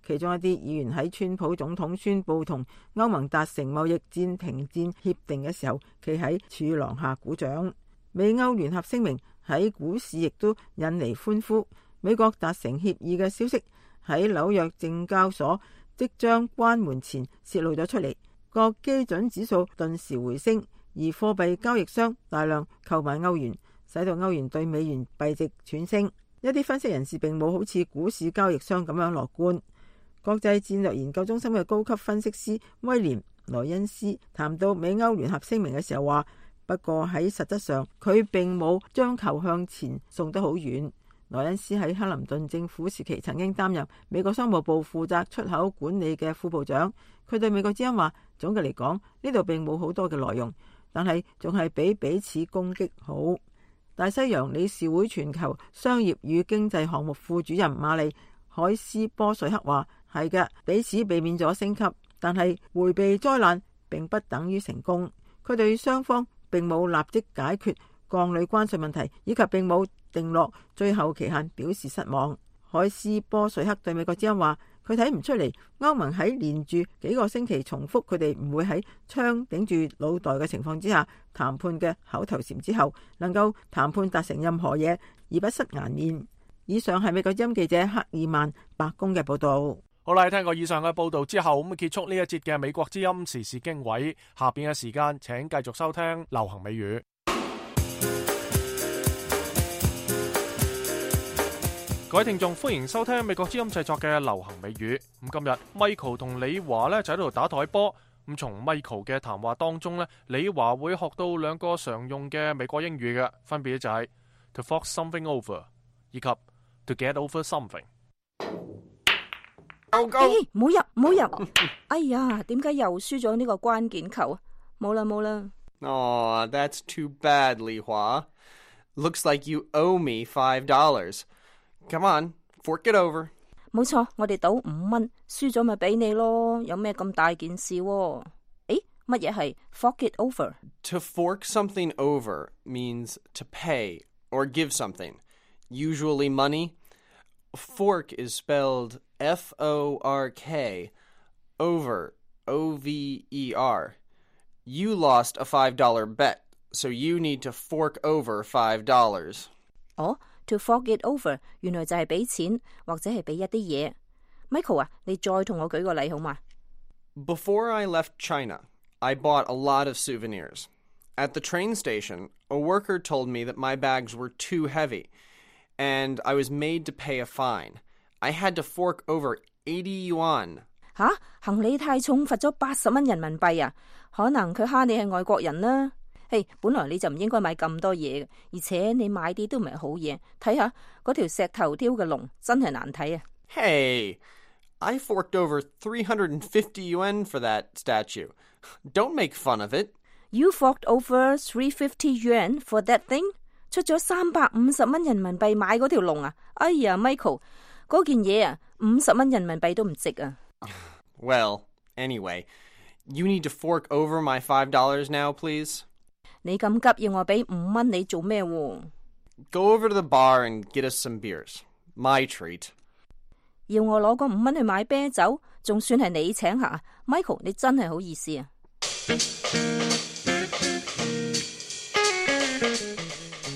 其中一啲議員喺川普總統宣布同歐盟達成貿易戰停戰協定嘅時候，企喺柱廊下鼓掌。美歐聯合聲明喺股市亦都引嚟歡呼。美國達成協議嘅消息喺紐約證交所即將關門前泄露咗出嚟，各基準指數頓時回升，而貨幣交易商大量購買歐元，使到歐元對美元幣值喘升。一啲分析人士並冇好似股市交易商咁樣樂觀。國際戰略研究中心嘅高級分析師威廉萊恩斯談到美歐聯合聲明嘅時候話，不過喺實質上佢並冇將球向前送得好遠。萊恩斯喺克林頓政府時期曾經擔任美國商務部負責出口管理嘅副部長。佢對美國之音話，總嘅嚟講，呢度並冇好多嘅內容，但係仲係比彼此攻擊好。大西洋理事會全球商業與經濟項目副主任瑪麗海斯波瑞克話，係嘅，彼此避免咗升級，但係迴避災難並不等於成功。佢對雙方並冇立即解決鋼鋁關稅問題，以及並冇定落最後期限表示失望。海斯波瑞克對美國之音話，佢睇唔出嚟歐盟喺連住幾個星期重複佢哋唔會喺槍頂住腦袋嘅情況之下談判嘅口頭禪之後，能夠談判達成任何嘢而不失顏面。以上係美國之音記者克爾曼白宮嘅報道。好啦，聽過以上嘅報道之後，咁結束呢一節嘅美國之音時事經緯。下邊嘅時間，請繼續收聽流行美語。各位聽眾，歡迎收聽美國之音製作嘅流行美語。咁今日 Michael 同李華咧就喺度打台波。咁從 Michael 嘅談話當中咧，李華會學到兩個常用嘅美國英語嘅，分別就係 to fork something over 以及 to get over something。唔好入，唔好入！哎呀，點解又輸咗呢個關鍵球啊？冇啦冇啦。Aw, that's too bad, Li Hua. Looks like you owe me five dollars. Come on, fork it over. 冇錯，我哋賭五蚊，輸咗咪俾你咯，有咩咁大件事？誒，乜嘢係 fork it over? To fork something over means to pay or give something, usually money. Fork is spelled F O R K, over, O V E R. You lost a five dollar bet, so you need to fork over five dollars. 哦，to fork it over 原來就係俾錢或者係俾一啲嘢。Michael 啊，你再同我舉個例好嘛？ Before I left China, I bought a lot of souvenirs. At the train station, a worker told me that my bags were too heavy, and I was made to pay a fine. I had to fork over eighty yuan. 吓，行李太重，罰咗八十蚊人民幣啊！可能佢蝦你係外國人啦。嘿，本來你就唔應該買咁多嘢嘅，而且你買啲都唔係好嘢。睇下嗰條石頭雕嘅龍真係難睇啊！ Hey, I forked over three hundred fifty yuan for that statue. Don't make fun of it. You forked over three hundred fifty yuan for that thing？ 出咗三百五十蚊人民幣買嗰條龍啊！哎呀 ，Michael， 嗰件嘢啊，五十蚊人民幣都唔值啊！ Well, anyway, you need to fork over my five dollars now, please. 你咁急要我俾五蚊你做咩喎？ Go over to the bar and get us some beers. My treat. 要我攞嗰五蚊去買啤酒，仲算係你請客啊 ？Michael， 你真係好意思啊！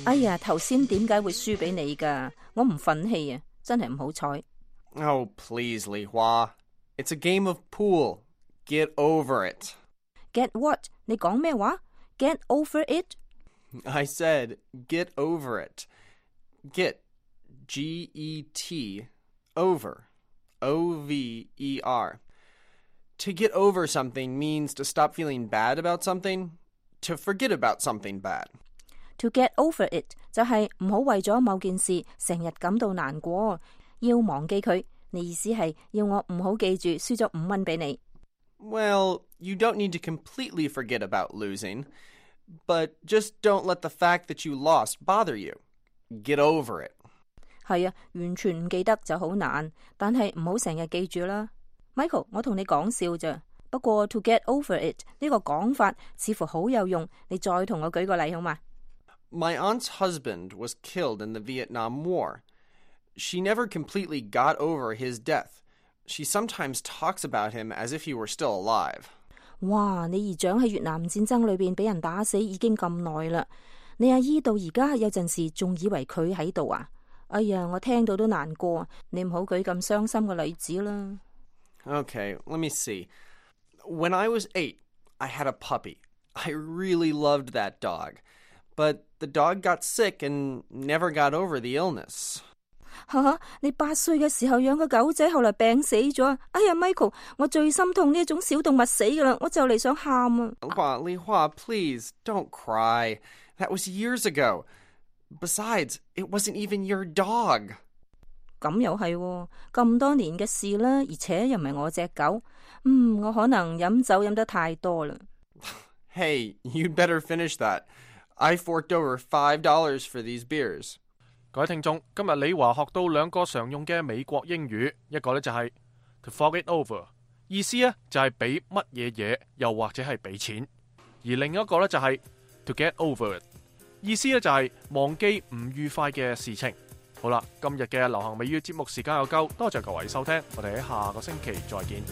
哎呀，頭先點解會輸俾你㗎？我唔忿氣啊，真係唔好彩。Oh, please, Li Hua. It's a game of pool. Get over it. Get what？ 你講咩話 ？Get over it？ I said get over it. Get, G E T, over, O V E R. To get over something means to stop feeling bad about something, to forget about something bad. To get over it 就係唔好為咗某件事成日感到難過，要忘記佢。你意思係要我唔好記住輸咗五蚊俾你。Well, you don't need to completely forget about losing, but just don't let the fact that you lost bother you. Get over it. 係啊，完全唔記得就好難，但係唔好成日記住啦。Michael， 我同你講笑咋，不過 to get over it 呢個講法似乎好有用，你再同我舉個例好嘛？ My aunt's husband was killed in the Vietnam War. She never completely got over his death. She sometimes talks about him as if he were still alive. 哇！你姨丈喺越南戰爭裏邊俾人打死已經咁耐啦，你阿姨到而家有陣時仲以為佢喺度啊！哎呀，我聽到都難過，你唔好舉咁傷心嘅例子啦。Okay, let me see. When I was eight, I had a puppy. I really loved that dog. But the dog got sick and never got over the illness. 哈哈，你八歲嘅時候養個狗仔，後來病死咗。哎呀 ，Michael， 我最心痛呢一種小動物死噶啦，我就嚟想喊啊！ Li Hua, please, don't cry. That was years ago. Besides, it wasn't even your dog. 咁又係喎，咁多年嘅事啦，而且又唔係我隻狗。嗯，我可能飲酒飲得太多啦。Hey, you'd better finish that. I forked over five dollars for these beers. 各位聽眾，今日李華學到兩個常用嘅美國英語，一個呢就係 to fork it over， 意思呢就係俾乜嘢嘢，又或者係俾錢；而另一個呢就係 to get over it， 意思呢就係忘記唔愉快嘅事情。好啦，今日嘅流行美語節目時間又夠，多謝各位收聽，我哋喺下個星期再見。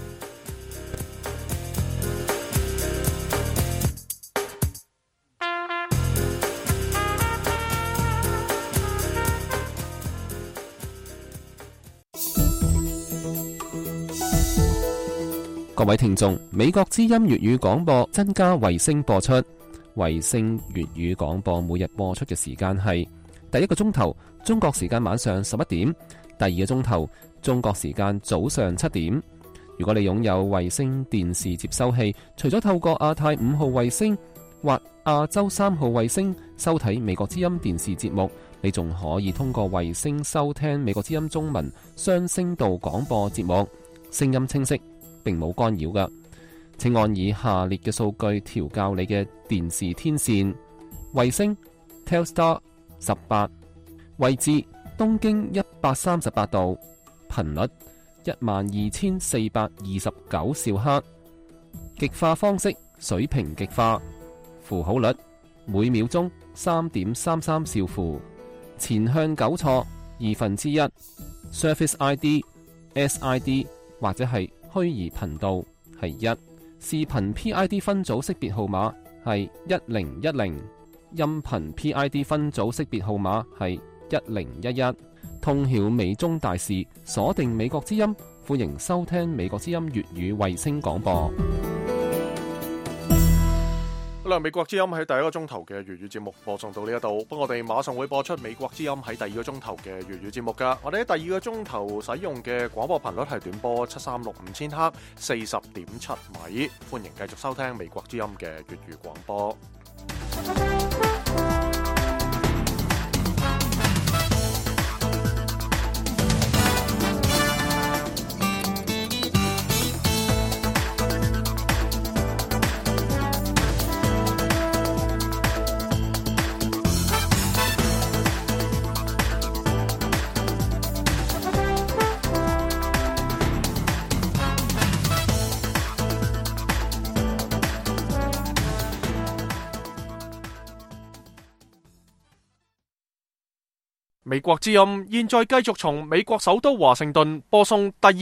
各位聽眾，美國之音粵語廣播增加衛星播出，衛星粵語廣播每日播出嘅時間係第一個鐘頭中國時間晚上十一點，第二個鐘頭中國時間早上七點。如果你擁有衛星電視接收器，除咗透過亞太五號衛星或亞洲三號衛星收睇美國之音電視節目，你仲可以通過衛星收聽美國之音中文雙聲道廣播節目，聲音清晰，並冇干擾㗎。請按以下列嘅數據調校你嘅電視天線：衛星 Telstar 十八，位置東經一百三十八度，頻率一萬二千四百二十九兆赫，極化方式水平極化，符號率每秒鐘三點三三兆符，前向糾錯二分之一 ，Service I D S I D 或者係虛擬頻道係一，視頻 P I D 分組識別號碼係一零一零，音頻 P I D 分組識別號碼係一零一一。通曉美中大事，鎖定美國之音，歡迎收聽美國之音粵語衛星廣播。好啦，美國之音喺第一個鐘頭嘅粵語節目播送到呢一度，不過我哋馬上會播出美國之音喺第二個鐘頭嘅粵語節目噶。我哋喺第二個鐘頭使用嘅廣播頻率係短波七三六五千赫，四十點七米，歡迎繼續收聽美國之音嘅粵語廣播。美國之音現在繼續從美國首都華盛頓播送第二